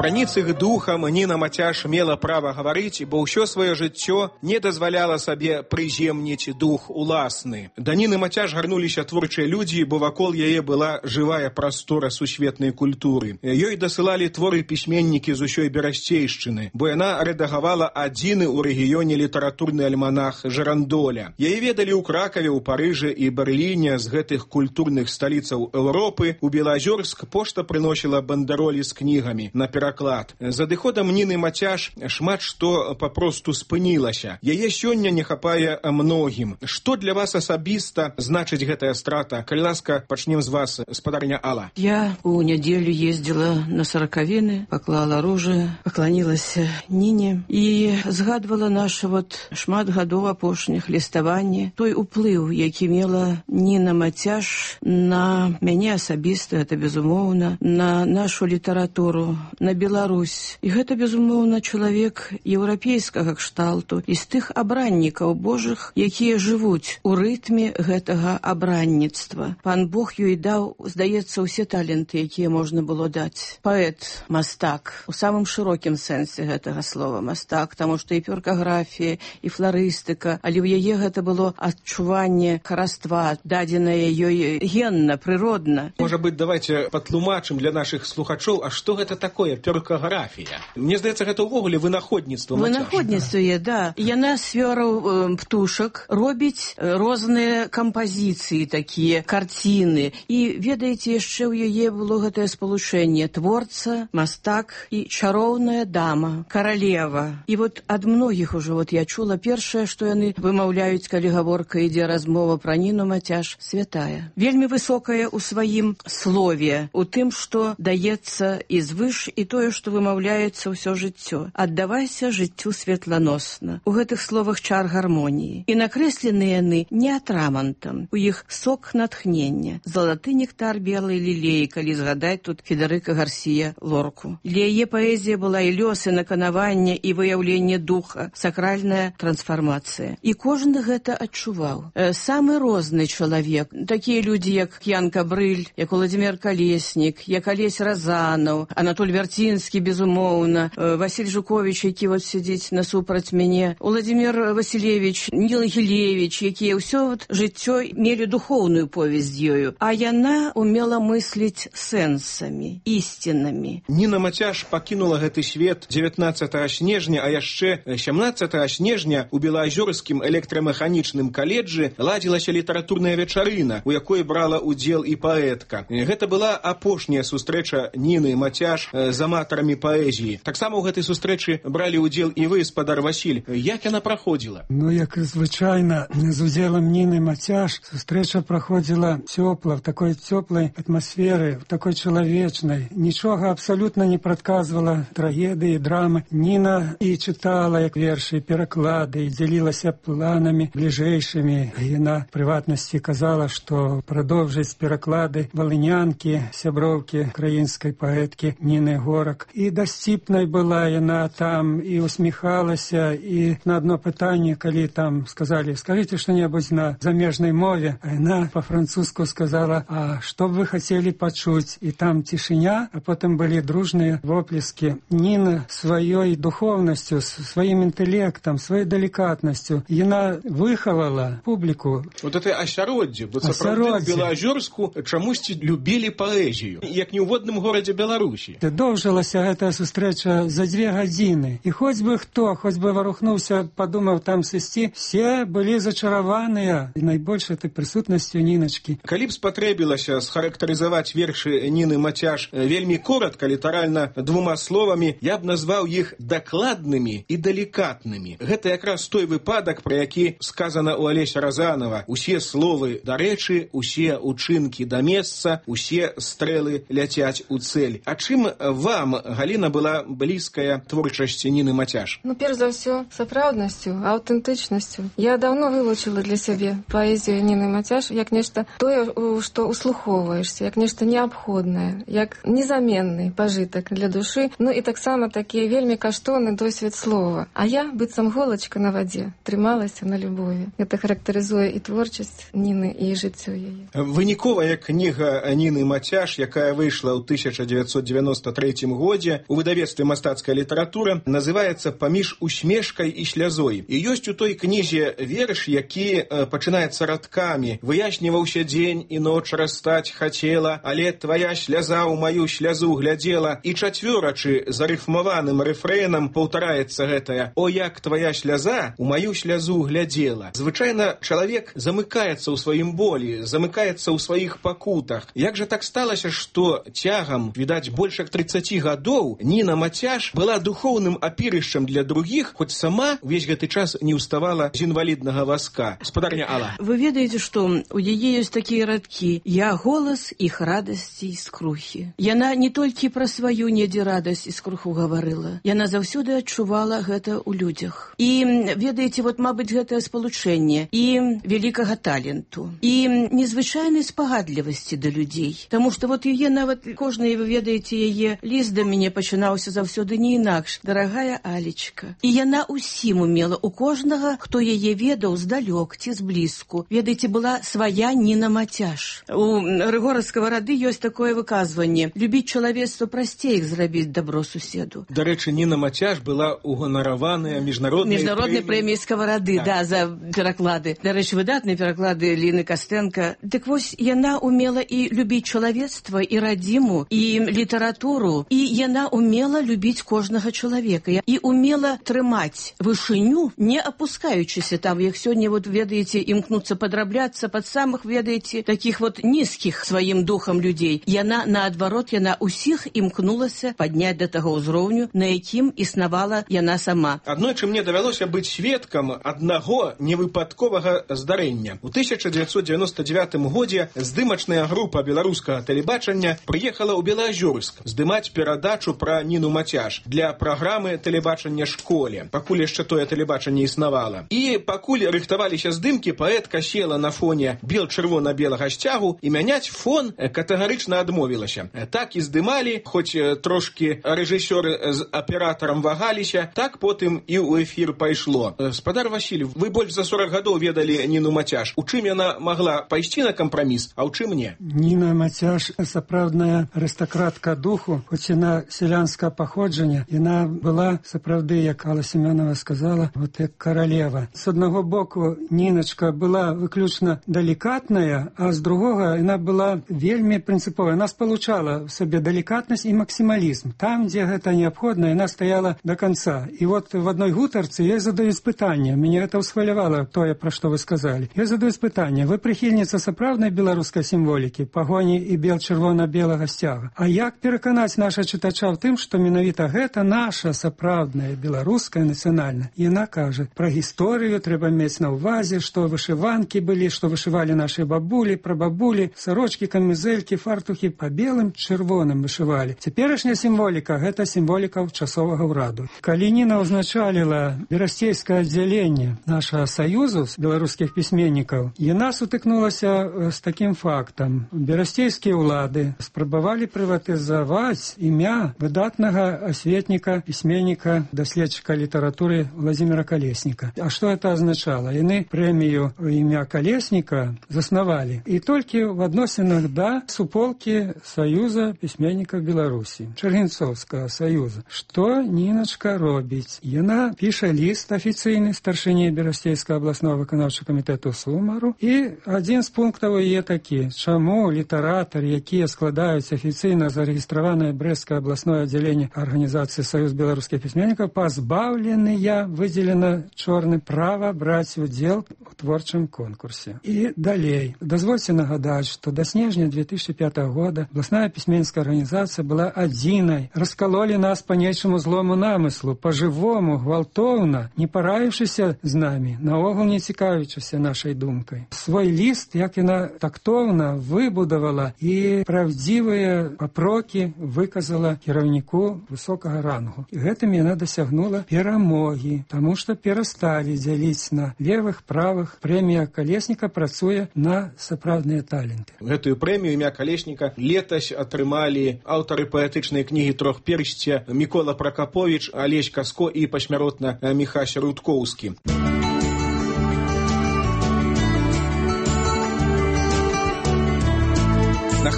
Праніц іх духам Ніна Мацяш мела права гаварыць, бо ўсё сваё жыццё не дазваляла сабе прыземніць дух уласны. Да Ніны Мацяш гарнуліся творчыя людзі, бо вакол яе была жывая прастора сусветнай культуры. Ёй дасылалі творы пісьменнікі з усёй берасцейшчыны, бо яна рэдагавала адзіны ў рэгіёне літаратурны альманах «Жарандоля». Яе ведалі ў Кракаве, ў Парыжы і Берліне. З гэтых культурных сталіцаў Еўропы у Белазёрск пошта прыносіла бандэролі з кнігамі на пераклад. За адыходам Ніны Мацяш шмат што папросту спынілася. Яе сёння не хапае многім. Што для вас асабіста значыць гэтая страта? Калі ласка, пачнем з вас, спадарня Алла. Я у нядзелю ездзіла на саракавіны, паклала ружы, пакланілася Ніне і згадвала наша вот шмат гадоў апошніх ліставанні, той уплыў, які мела Ніна Мацяш на мяне асабіста, гэта безумоўна, на нашу літаратуру, на Беларусь. І гэта, безумоўна, чалавек еўрапейскага кшталту і з тых абраннікаў Божых, якія жывуць у рытме гэтага абранніцтва. Пан Бог ёй даў, здаецца, усе таленты, якія можна было даць. Паэт, мастак, у самым шырокім сэнсе гэтага слова мастак, таму што і перкаграфія, і фларыстыка, але ў яе гэта было адчуванне хараства, дадзенае ёй генна, прыродна. Можа быць, давайте патлумачым для нашых слухачоў, а што гэта такое перкаграфія? Мне здаецца, гэта ўвогуле вынаходніцтва. Вынаходніцтва, да. Яна свёраў э, птушак, робіць розныя кампазіцыі такія, карціны. І, ведаеце, яшчэ ў яе было гэтае спалучэнне творца, мастак і чароўная дама, каралева. І вот ад многіх ужо вот я чула першае, што яны вымаўляюць, калі гаворка ідзе размова пра Ніну Мацяш, святая. Вельмі высокая ў сваім слове, у тым, што даецца і звыш, і тое, што вымаўляецца ўсё жыццё. Аддавайся жыццю светланосна. У гэтых словах чар гармоніі. І накрэслены яны не атрамантам. У іх сок натхнення. Залаты нектар белай лілеі, калі згадаць тут Федэрыка Гарсія Лорку. Для яе паэзія была і лёс, і наканаванне, і выяўленне духа, сакральная трансфармацыя. І кожны гэта адчуваў. Э, самы розны чалавек. Такія людзі, як Янка Брыль, як Уладзімир Калеснік, як Алесь Разанаў, Анатоль Вярцінскі, безумоўна, э, Васіль Жукович, які вот сидзіць насупраць мяне, Уладзімир Васілевич, Ніл Гілевич, якія ўсё вот жыццё мелі духоўную повесць з ёю. А яна умела мысліць сэнсамі, ісцінамі. Ніна Мацяш пакінула гэты свет дзевятнаццатага снежня, а яшчэ сямнаццатага снежня у Белаазёрскім электрамеханічным каледжы ладзілася літаратурная вечарына, у якой брала удзел і паэтка. Гэта была апошняя сустрэча Ніны Мацяш з аматарамі паэзіі. Таксама ў гэтай сустрэчы бралі удзел і вы, спадар Васіль. Як яна праходзіла? Ну, як і звычайна, з удзелам Ніны Мацяш сустрэча праходзіла цёпла, в такой цёплай атмасферы, в такой чалавечнай. Нічога абсалютна не прадказвала трагедыі, драмы. Ніна і чытала, як вершы, пераклады, і дзялілася планамі бліжэйшымі. Яна, в прыватнасці, казала, што прадоўжыць пераклады валынянкі, сяброўкі украінскай паэткі Ніны Горак. І дасціпнай была яна там, і усміхалася, і на одно пытанне, калі там сказалі, скажите что-небудзь на замежнай мове, а яна по-французску сказала, а што б вы хацелі пачуць? І там цішыня, а потым былі дружныя воплескі. Ніна сваёй духоўнасцю, сваім інтэлектам, сваёй далікатнасцю, яна выхавала публіку. Вот это асяроддзе, бо сапраўды ў Белаазёрску чамусьці любілі паэзію, як не ў водным горадзе Беларусі. Доўжылася гэтая сустрэча за дзве гадзіны. І хоць бы хто, хоць бы варухнуўся, падумаў там сысці, все былі зачараваныя і найбольш этой прысутнасцю Ніначкі. Калі б спатрэбілася схарактарызаваць вершы Ніны Мацяш вельмі коротка, літаральна двума словамі, я б назваў іх дакладнымі і далікатнымі. Гэта якраз той выпадак, пра які сказана ў Алеся Разанова. Усе словы да рэчы, усе учынкі да месца, усе стрэлы ляцяць у цэль. А чым вам, Галіна, была блізкая творчасць Ніны Мацяш? Ну, перш за ўсё, сапраўднасцю, аўтэнтычнасцю. Я даўно вылучила для сябе паэзію Ніны Мацяш як нешта тое, што услухоўваешся, як нешта неабходнае, як незаменны пажытак для душы, ну і таксама такія вельмі каштоўны досвед слова. А я, быццам голачка на вадзе, трымалася на любові. Гэта характарызуе і творчасць Ніны, і жыццё яе. Выніковая кніга Ніны Мацяш, якая выйшла ў тысяча дзевяцьсот дзевяносто трэцім годзе у выдавецтве «Мастацкая літаратура» называецца «Паміж усмешкай і слязой». І ёсць у той кнізе верш, які э, пачынаецца радкамі. «Выясніваўся дзень і ноч растаць хацела, але твая сляза ў маю слязу глядзела». І чацвёрачы зарыфмаваным рэфрэнам паўтараецца гэтая «О, як твая сляза ў маю слязу глядзела». Звычайна чалавек замыкаецца ў сваім болі, замыкаецца ў сваіх пакутах. Як жа так сталася, што цягам, відаць, больш як трыццаці гадоў Ніна Мацяш была духоўным апірышчам для другіх, хоць сама ўвесь гэты час не ўставала з інваліднага вазка. Спадарня Алла. Вы ведаеце, што у яе ёсць такія радкі: «Я голас іх радасці і скрухі». Яна не толькі пра сваю недзе радасць і скруху гаварыла, яна заўсёды адчувала гэта ў людзях. І ведаеце, вот, мабыць, гэтае спалучэнне і вялікага таленту, і незвычайнай спагадлівасці да людзей. Таму што вот яе нават кожны, вы ведаеце, яе ліст да мяне пачынаўся заўсёды не інакш: «Дарагая Алечка». І яна ўсім умела, у кожнага, хто яе ведаў здалёк ці зблізку. Ведаеце, была свая Ніна Мацяш. У Рыгора Скаварады ёсць такое выказванне: «Любіць чалавецтва прасцей, як зрабіць дабро суседу». Дарэчы, Ніна Мацяш была уганараваная міжнароднай міжнароднай прэміяй Скаварады, да. да, за пераклады. Дарэчы, выдатныя пераклады Ліны Кастенка. Дык вось, яна умела і любіць чалавецтва, і радзіму, і літаратуру, і яна умела любіць кожнага чалавека, і умела трымаць вышыню, не апускаючыся там, як сёння, вот, ведаеце, імкнуцца падрабляцца пад самых, ведаеце, такіх вот нізкіх сваім духам людзей. Яна, наадварот, яна ўсіх імкнулася падняць да таго ўзроўню, на якім існавала яна сама. Аднойчы мне давялося быць сведкам аднаго невыпадковага здарэння. У тысяча дзевяцьсот дзевяноста дзевятым годзе здымачная група беларускага тэлебачання прыехала ў Белаазёрск здымаць перадачу пра Ніну Мацяш для праграмы тэлебачання «Школе». Пакуль яшчэ тое тэлебачанне існавала. І пакуль рыхтаваліся здымкі, паэтка села на фоне бел-чырвона-белага сцягу і мяняць фон катэгарычна адмовілася. Так і здымалі, хоць трошкі рэжысёры з аператарам вагаліся, так потым і ў эфір пайшло. Спадар Васіль, вы больш за сорок гадоў ведалі Ніну Мацяш. У чым яна магла пайсці на кампраміс, а ў чым не? Ніна Мацяш сапраўдная арыстакратка духу, хоць яна сялянскага паходжання, яна была сапраўды, як Алла Семёнова сказала, вот як каралева. З аднаго боку Ніначка была выключна далікатная, а з другога яна была вельмі прынцыповая. Яна спалучала в сабе далікатнасць і максімалізм. Там, дзе гэта неабходна, яна стаяла до конца. І вот в адной гутарцы ёй задаюць пытанне, мяне гэта ўсхвалявала тое, пра што вы сказалі. Ёй задаюць пытанне: вы прыхільніца сапраўднай беларускай сімволікі, пагоні і бел-чырвона-белага сцяга. А як пераканаць наша чытача ў тым, што менавіта гэта наша сапраўдная беларуская нацыянальная? Яна кажа, пра гісторыю трэба мець на ўвазе, што вышыванкі былі, што вышывалі нашы бабулі, прабабулі, сарочкі, камізэлькі, фартухі па белым, чырвоным вышывалі. Цяперашняя сімволіка — гэта сімволіка часовага ўраду. Калі Ніна ўзначаліла берасцейскае аддзяленне нашага саюзу з беларускіх пісьменнікаў, яна сутыкнулася з такім фактам. Берасцейскія ўлады спрабавалі прыватызаваць імя выдатнага асветніка, пісьменніка, даследчыка літаратуры Владзіміра Калесніка. А што гэта азначала? Яны прэмію імя Калесніка заснавалі. І толькі в адносінах да суполкі Саюза пісьменнікаў Беларусі, Чаргінцоўскага саюза. Што Ніначка робіць? Яна піша ліст афіцыйны старшыні Берасцейскага абласнога выканаўчага камітэту Сумару, і адзін з пунктаў яе такі: чаму літаратары, якія складаюць афіцыйна зарэгістраванае Брэсцкае абласное аддзяленне арганізацыі Саюз беларускіх пісьменнікаў, пазбаўленыя, выдзелена чорным, права браць удзел у творчым конкурсе. І далей. Дазвольце нагадаць, што да снежня две тысячи пятого года абласная пісьменніцкая арганізацыя была адзінай. Раскалолі нас па нечаму злому намыслу, па-жывому, гвалтоўна, не параіўшыся з намі, наогул не цікавячыся нашай думкай. Свой ліст, як яна тактоўна выбудавала і правдзівыя папрокі выказала кіраўніку высокага рангу. І гэтым яна дасягнула перамогі, таму што перасталі дзяліць на левых, правых. Прэмія Калесніка працуе на сапраўдныя таленты. Гэтую прэмію імя Калесніка летась атрымалі аўтары паэтычнай кнігі «Трохперсця» Мікола Пракаповіч, Алесь Каско і пасмяротна Міхась Рудкоўскі.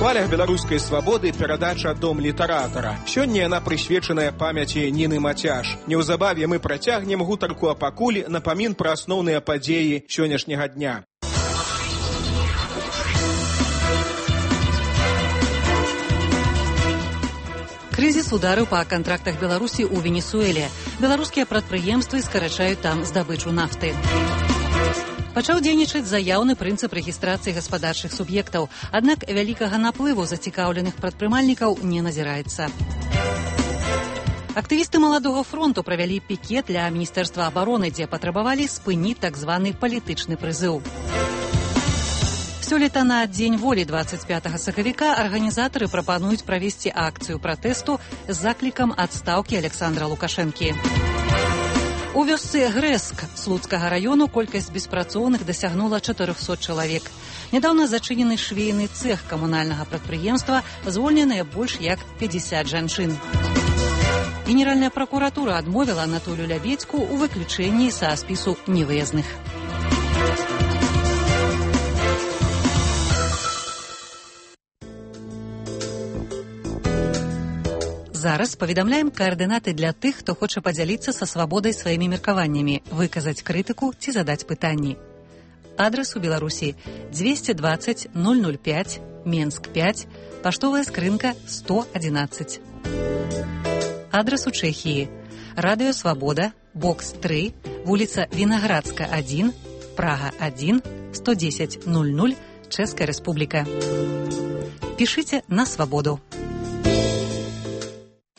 хвалях беларускай свабоды перадача «Дом літаратара». Сёння яна прысвечаная памяці Ніны Мацяш. Неўзабаве мы працягнем гутарку, а пакуль напамін пра асноўныя падзеі сённяшняга дня. Крызіс ударыў па кантрактах Беларусі ў Венесуэле. Беларускія прадпрыемствы скарачаюць там здабычу нафты. Пачаў дзейнічаць заяўны прынцып рэгістрацыі гаспадарчых суб'ектаў, аднак вялікага наплыву зацікаўленых прадпрымальнікаў не назіраецца. Актывісты маладога фронту правялі пікет для міністэрства абароны, дзе патрабавалі спыніць так званы палітычны прызыў. Сёлета на Дзень волі дваццаць пятага сакавіка арганізатары прапануюць правесці акцыю пратэсту з заклікам адстаўкі Александра Лукашэнкі. У вёсцы Грэск Слуцкага раёну колькасць беспрацоўных дасягнула чатырохсот чалавек. Нядаўна зачынены швейны цэх камунальнага прадпрыемства, звольненыя больш як пятьдесят жанчын. Генеральная пракуратура адмовіла Анатолію Лябедзьку ў выключэнні са спісу невыязных. Зараз паведамляем каардынаты для тых, хто хоча падзяліцца са свабодай сваімі меркаваннямі, выказаць крытыку ці задаць пытанні. Адрас у Беларусі двести двадцать ноль ноль пять, Менск пять, паштовая скрынка сто одиннадцать. Адрас у Чэхіі Радыё Свабода, бокс три, вуліца Вінаградска один, Прага один, сто десять ноль ноль, Чэшская Рэспубліка. Пішыце на свабоду.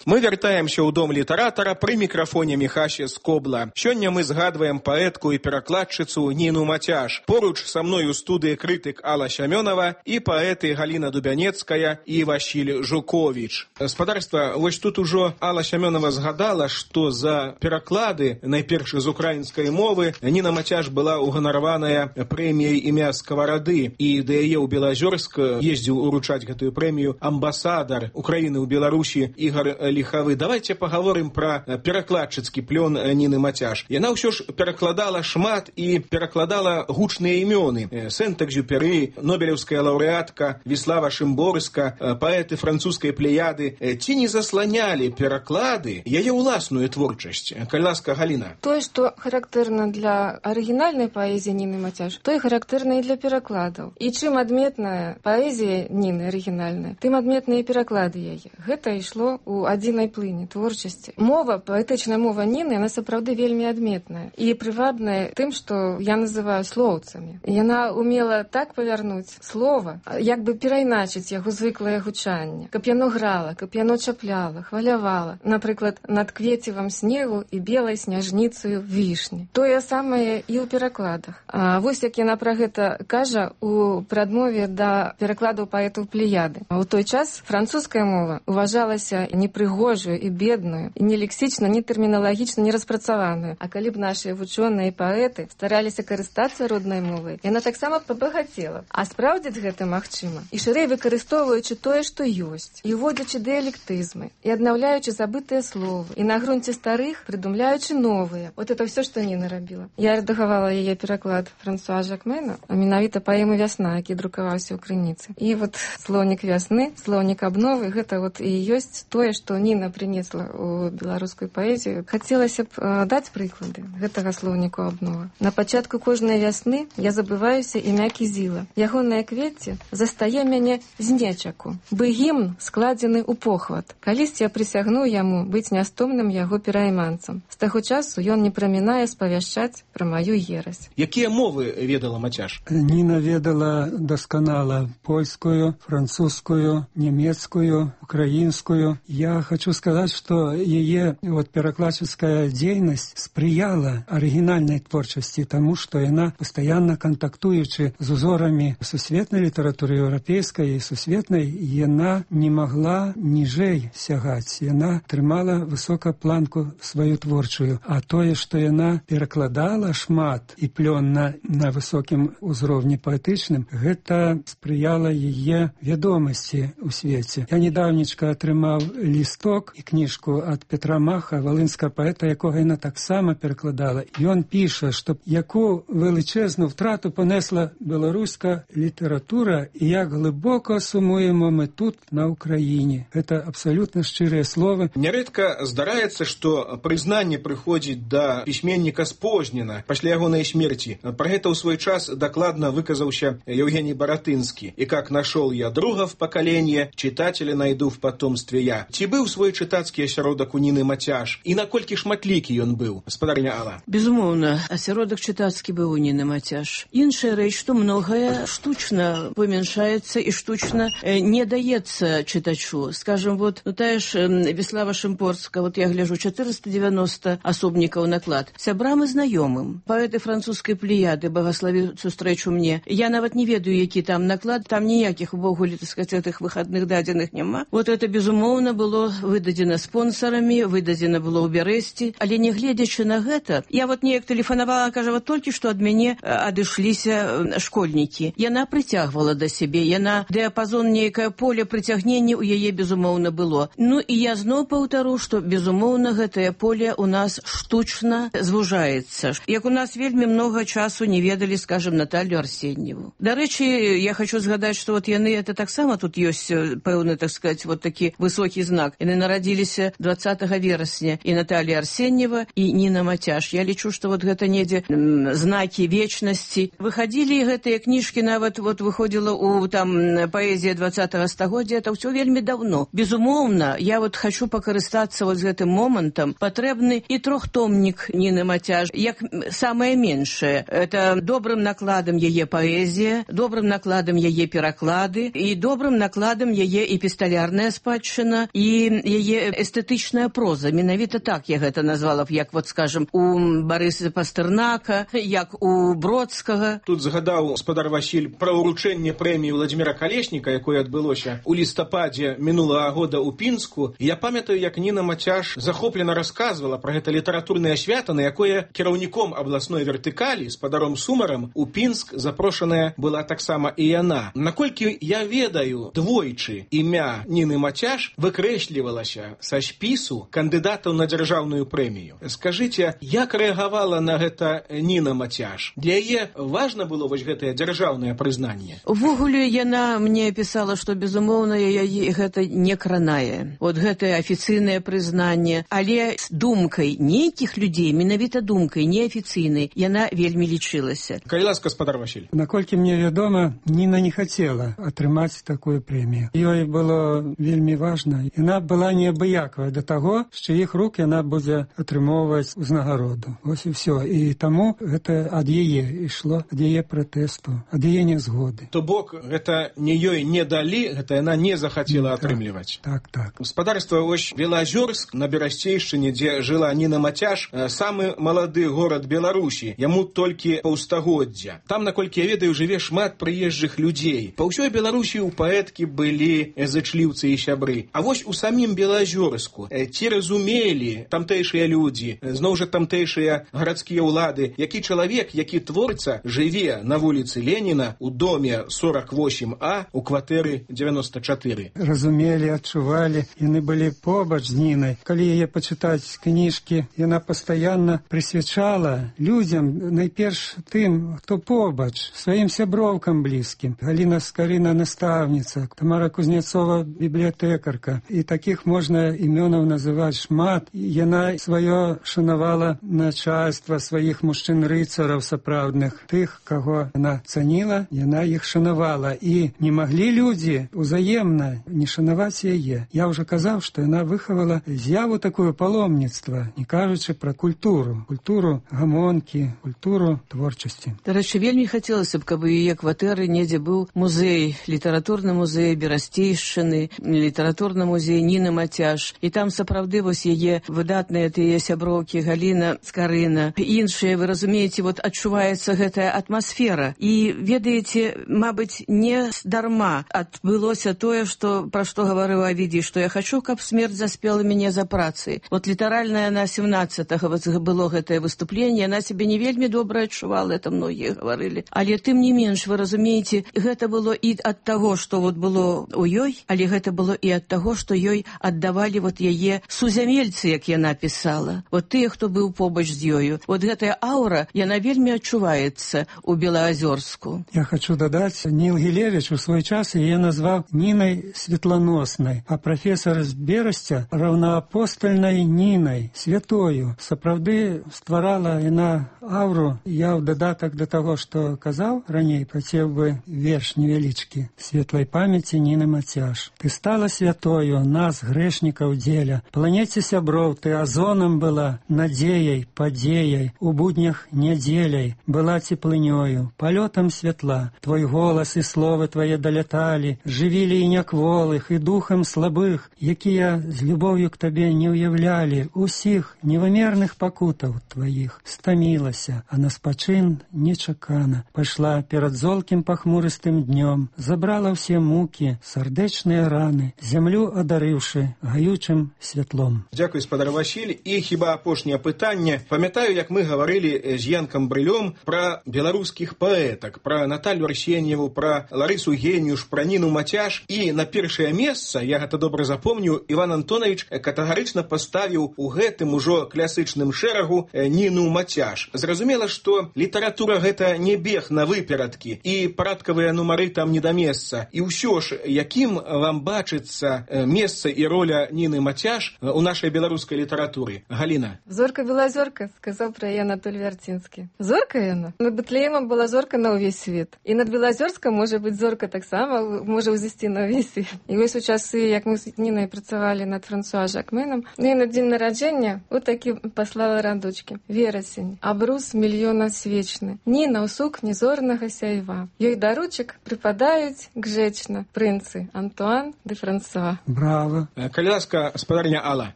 Мы вяртаемся ў дом літаратара пры мікрафоне Міхася Скобла. Сёння мы згадваем паэтку і перакладчыцу Ніну Мацяш. Поруч са мной у студыі крытык Алла Сямёнова і паэты Галіна Дубянецкая і Васіль Жуковіч. Спадарства, вось тут ужо Алла Сямёнова згадала, што за пераклады, найперш з украінскай мовы, Ніна Мацяш была уганараваная прэміяй імя Скаварады, і да яе ў Белазёрск ездзіў уручаць гэтую прэмію амбасадар Украіны ў Беларусі Ігар Лихавы. Давайте паговорым пра перакладчыцкі плён Ніны Мацяш. Яна ўсё ж перакладала шмат і перакладала гучныя імёны. Сент-Экзюпері, нобелеўская лаўрэатка Віслава Шымборска, паэты французскай плеяды. Ці не засланялі пераклады яе ўласную творчасць? Калі ласка, Галіна. Тое, што характэрна для арыгінальнай паэзіі Ніны Мацяш, тое характэрна і для перакладаў. І чым адметная паэзія Ніны арыгінальная, тым адметныя пераклады яе. Гэта ішло ў адзінай плыні творчасці. Мова, паэтычная мова Ніны, яна сапраўды вельмі адметная і прывабная тым, што я называю слоўцамі. Яна умела так павярнуць слова, як бы перайначыць яго звыклае гучанне, каб яно грала, каб яно чапляла, хвалявала. Напрыклад, над квецівам снегу і белай сняжніцаю вішні. Тое самае і ў перакладах. А вось як яна пра гэта кажа у прадмове да перакладаў паэтаў Плеяды. У той час французская мова уважалася непрыгожую і бедную, і не лексічна, не тэрміналагічна не распрацаваную. А калі б нашыя вучоныя і паэты стараліся карыстацца роднай мовай, яна таксама пабагацела. А спраўдзіць гэта магчыма. І шырэй выкарыстоўваючы тое, што ёсць, і уводзячы дыялектызмы, і аднаўляючы забытыя словы, і на грунце старых прыдумляючы новыя. Вот это ўсё, што Ніна рабіла. Я рэдагавала яе пераклад Франсуа Жакмена, а менавіта паэмы «Вясна», які друкаваўся ў крыніцы. І вот слоўнік вясны, слоўнік абновы, гэта вот і ёсць тое, што Ніна прынесла ў беларускую паэзію. Хацелася б э, даць прыклады гэтага слоўніку абнова. На пачатку кожнай вясны я забываюся імя Кізіла. Ягонае квецце застае мяне з нечаку, бы гімн складзены ў похват. Калісьці я прысягну яму быць нястомным яго перайманцам. З таго часу ён не прамінае спавяшчаць пра маю ерась. Якія мовы ведала Мацяш? Ніна ведала дасканала польскую, французскую, нямецкую, украінскую. Я хочу сказать, что ее вот перакладческая деятельность сприяла оригинальной творчести, тому, что она постоянно контактуючи з узорами сусветной литературы европейской и сусветной, она не могла ніжэй сягать. Она трымала высоко планку свою творчую. А тое, что она перакладала шмат и плённа на высокім узроўні паэтычным, гэта спрыяла яе вядомасці ў свеце. Я недавнечка атрымаў ліст лісток і кніжку ад Петра Маха, волинського поета, якого яна таксама перакладала. І він пише, що яку величезну втрату понесла білоруська література і як глибоко сумуємо ми тут, на Україні. Це абсолютно щирі слова. Нярэдка здараецца, што прызнанне прыходзіць да пісьменніка спознена пасля ягонай смерці. Пра гэта ў свой час дакладна выказаўся Евгений Баратынскі. І как нашел я друга в поколении, читателя найду в потомстве я. Ці быў свой чытацкі асяродак у Ніны Мацяш? І наколькі шматлікі ён быў, спадарня Алла? Безумоўна, асяродак чытацкі быў у Ніны Мацяш. Іншая рэч, што многае штучна памяншаецца і штучна не даецца чытачу. Скажем, вот ну, тая ж Веслава Шымпорска, вот я гляжу, четыреста девяносто асобнікаў наклад. Сябрам і знаёмым. Паэты французскай плеяды, багаславі сустрэчу мне. Я нават не ведаю, які там наклад, там ніякіх увогуле, так сказать, гэтых выхадных дадзеных няма. Вот это, безумоўна, было выдадзена спонсарамі, выдадзена было ў Бярэсці, але не гледзячы на гэта, я вот неяк тэлефанавала, кажа, вот толькі што ад мяне адышліся школьнікі. Яна прыцягвала да сябе, яна дыяпазон нейкае поле прыцягнення ў яе, безумоўна, было. Ну і я зноў паўтару, што, безумоўна, гэтае поле у нас штучна звужаецца. Як у нас вельмі многа часу не ведалі, скажем, Наталью Арсеньеву. Дарэчы, я хочу згадаць, што вот яны, это таксама тут ёсць пэўны, так сказать, вот такі высокі знак. Яны нарадзіліся двадцатага верасня, і Наталья Арсеньева, і Ніна Мацяш. Я лічу, што вот гэта недзе знакі вечнасці. Выхадзілі гэтыя кніжкі, нават вот выходзіла у там паэзія двадцатага стагоддзя, это ўсё вельмі даўно. Безумоўна, я вот хочу пакарыстацца вот з гэтым момантам. Патрэбны і трохтомнік Ніны Мацяш, як самае меншае. Это добрым накладам яе паэзія, добрым накладам яе пераклады і добрым накладам яе эпісталярная спадчына і яе эстэтычная проза. Менавіта так я гэта назвала б, як вот, скажем, у Барыса Пастэрнака, як у Бродскага. Тут згадаў спадар Васіль пра ўручэнне прэміі Владзіміра Калешніка, якое адбылося ў лістападзе мінулага года ў Пінску. Я памятаю, як Ніна Мацяш захоплена расказвала пра гэта літаратурнае свята, на якое кіраўніком абласной вертыкалі, спадаром Сумарам, у Пінск запрошаная была таксама і яна. Наколькі я ведаю, двойчы імя Ніны Мацяш выкрэслівалася са спісу кандыдатаў на дзяржаўную прэмію. Скажыце, як рэагавала на гэта Ніна Мацяш? Для яе важна было вось гэтае дзяржаўнае прызнанне? Увогуле яна мне пісала, што безумоўна яе гэта не кранае. Вот гэтае афіцыйнае прызнанне, але з думкай нейкіх людзей, менавіта думкай неафіцыйнай, яна вельмі лічылася. Калі ласка, спадар Васіль. Наколькі мне вядома, Ніна не хацела атрымаць такую прэмію. Ёй было вельмі важна. Яна была неабыякавая да таго, з чыіх рук яна будзе атрымоўваць узнагароду. Вось і ўсё. І таму гэта ад яе ішло, ад яе пратэсту, ад яе нязгоды. То бок, гэта не ёй не далі, гэта яна не захацела атрымліваць. Так, так. Спадарства вось Белазёрск на Берасцейшчыне, дзе жыла Ніна Мацяш, самы малады горад Беларусі, яму толькі паўстагоддзя. Там, наколькі я ведаю, жыве шмат прыезджых людзей. Па ўсёй Беларусі ў паэткі былі зычліўцы і сябры. А вось у самім Белазёрску ці разумелі тамтэйшыя людзі, зноў жа тамтэйшыя гарадскія ўлады, які чалавек, які творца, жыве на вуліцы Леніна у доме сорок восемь А у кватэры девяносто чатыры. Разумелі, адчувалі, яны былі побач з Нінай. Калі яе пачытаць кніжкі, яна пастаянна прысвячала людзям, найперш тым, хто побач, сваім сяброўкам блізкім. Галіна Скарына настаўніца, Тамара Кузнецова бібліятэкарка. І такіх можна імёнаў называць шмат. Яна сваё шанавала начальства, сваіх мужчын-рыцараў сапраўдных. Тых, каго яна цаніла, яна іх шанавала. І не маглі людзі узаемна не шанаваць яе. Я ўжо казаў, што яна выхавала з'яву такое паломніцтва, не кажучы пра культуру. Культуру гамонкі, культуру творчасці. Дарэчы, вельмі хацелася б, каб у яе кватэры недзе быў музей, літаратурны музей Берасцейшчыны, літаратурны музей Ніны Мацяш. І там сапраўды вось яе выдатныя тыя сяброўкі Галіна Скарына. Іншыя, вы разумееце, вот адчуваецца гэтая атмасфера. І ведаеце, мабыць, не дарма адбылося тое, што пра што гаварыў Авідзій, што я хачу, каб смерць заспела мяне за працай. Вот літаральна на семнадцатага было гэтае выступленне, яна сябе не вельмі добра адчувала, это многія гаварылі. Але тым не менш, вы разумееце, гэта было і ад таго, што вот было ў ёй, але гэта было і ад таго, што ёй аддавалі вот яе сузямельцы, як яна пісала. Вот тыя, хто быў побач з ёю. Вот гэтая аўра, яна вельмі адчуваецца у Белаазёрску. Я хочу дадаць, Ніл Гілевіч у свой час яе назваў Нінай Светланоснай, а прафесор з Берасця раўнаапостальнай Нінай, святою. Сапраўды стварала яна аўру. Я ў дадатак да таго, што казаў раней, хацеў бы верш невялічкі. Светлай памяці Ніны Мацяш. Ты стала святою, нас, грэшнікаў, дзеля. Планеце сяброў ты азонам была, надзеяй, падзеяй, у буднях нядзеляй, была цеплынёю, палётам святла. Твой голас і словы твае даляталі, жывілі і някволых, і духам слабых, якія з любоўю к табе не ўяўлялі, усіх невымерных пакутаў тваіх. Стамілася, а на спачын нечакана. Пайшла перад золкім пахмурыстым днём, забрала ўсе мукі, сардэчныя раны, зямлю адарыўшы гаючым святлом. Дзякуй, спадар Васіль. І хіба апошняе пытанне. Памятаю, як мы гаварылі з Янкам Брылём пра беларускіх паэтак, пра Наталью Арсеньеву, пра Ларысу Геніюш, пра Ніну Мацяш. І на першае месца, я гэта добра запомню, Іван Антонович катэгарычна паставіў у гэтым ужо класычным шэрагу Ніну Мацяш. Зразумела, што літаратура гэта не бег на выперадкі, і парадкавыя нумары там не да месца. І ўсё ж, якім вам бачыцца месца і роля Ніны Мацяш у нашай беларускай літаратуры? Галіна. Зорка была зорка, сказаў пра яе Анатоль Вярцінскі. Зорка яна? Над Бэтлеемам была зорка на ўвесь свет. І над Белазёрскам можа быць зорка таксама, можа ўзысці на ўвесь свет. І вось у часы, як мы з Нінай працавалі над Франсуа Жакменам, ну і на дзень нараджэння вот такі паслала радочкі. Верасень, абрус мільёна свечны. Ніна ў сукні зорнага сяйва. Ёй даручак прыпадаюць гжэчна прынцы Антуан де Франсуа. Браво. Калі ласка, спадарня Алла.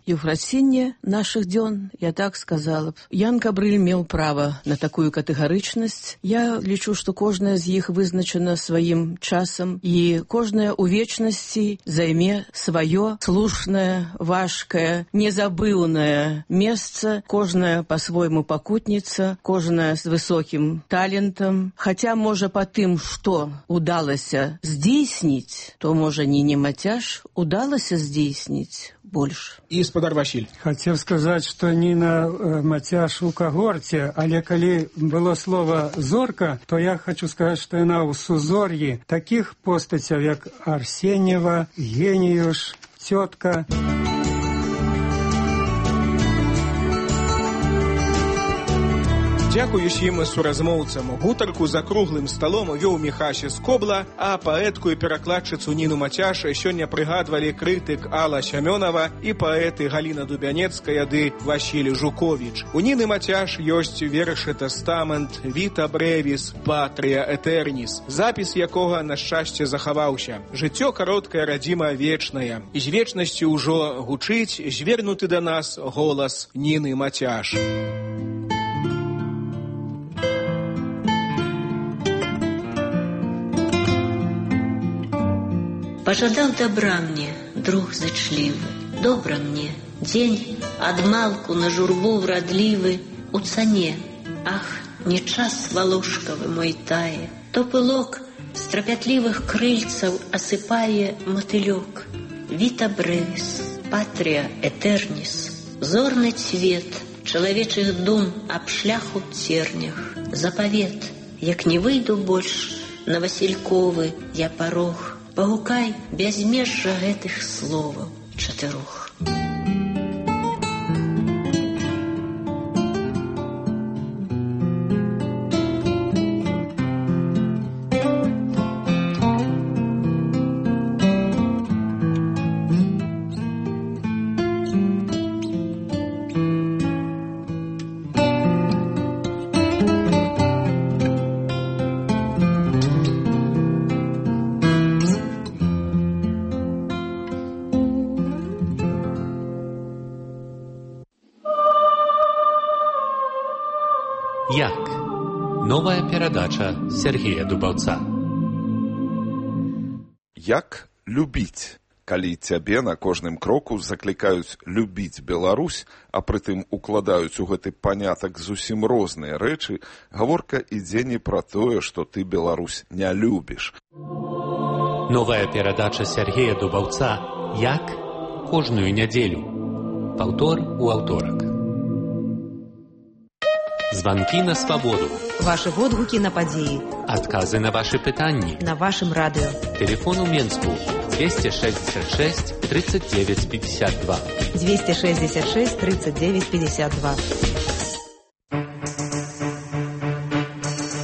Еўфрасінне нашых дзён, я так сказала б. Ян Габрыль меў права на такую катэгарычнасць. Я лічу, што кожная з іх вызначана сваім часам, і кожная ў вечнасці займе сваё слушнае, важкае, незабыўнае месца, кожная па-свойму пакутніца, кожная з высокім талентам. Хаця, можа, па тым, што удалася здзейсніць, то, можа, Ніне Мацяш удалася здзейсніць больш. І спадар Васіль. Хацеў сказаць, што Ніна Мацяш у кагорце, але калі было слова «зорка», то я хочу сказаць, што яна ў сузор'і такіх постацяў, як Арсеньева, Геніюш, цётка. Дзякуй усім суразмоўцам. Гутарку за круглым сталом вёў Міхася Скобла, а паэтку і перакладчыцу Ніну Мацяш сёння прыгадвалі крытык Алла Сямёнова і паэты Галіна Дубянецкая ды Васіль Жуковіч. У Ніны Мацяш ёсць вершы «Тэстамент», «Віта Брэвіс», «Патрія Этерніс», запіс якога, на шчасце, захаваўся. Жыццё кароткае, радзіма вечная. І з вечнасцю ўжо гучыць звернуты да нас голас Ніны Мацяш. Пожадаў добра мне, друг зычлівы, добра мне, дзень адмалку на журбу врадлівы у цане. Ах, не час валушкавы мой тае, то пылок з трапятлівых крыльцаў асыпае матылёк. Віта Брэвіс, Патрія Этерніс, зорны цвет чалавечых дум аб шляху цернях, запавет, як не выйду больш на Васільковы я парог, пагукай бязмежжа гэтых словаў чатырох. Як? Новая перадача Сергея Дубаўца. Як любіць? Калі цябе на кожным кроку заклікаюць любіць Беларусь, а прытым укладаюць у гэты панятак зусім розныя рэчы, гаворка ідзе не пра тое, што ты Беларусь не любіш. Новая перадача Сергея Дубаўца «Як кожную нядзелю. Паўтор у аўторак. Званкі на свабоду. Ваши водгукі на падзеі. Адказы на ваши пытанні. На вашым радыё. Телефон у Менску двести шестьдесят шесть тридцать девять пятьдесят два. двести шестьдесят шесть тридцать девять пятьдесят два.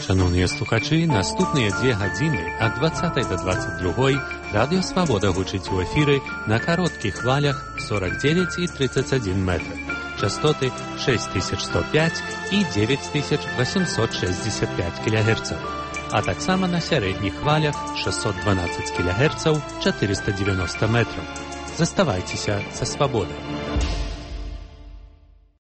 Шановныя слухачы, наступныя дзве гадзіны ад двадцатай да двадцать другой радыё Свабода гучыць у эфіры на кароткіх хвалях сорок девять и тридцать один метр. Частоты шесть тысяч сто пять и девять тысяч восемьсот шестьдесят пять килогерцаў, а таксама на сярэдніх хвалях шестьсот двенадцать килогерцаў, четыреста девяносто метров. Заставайцеся са Свабодай.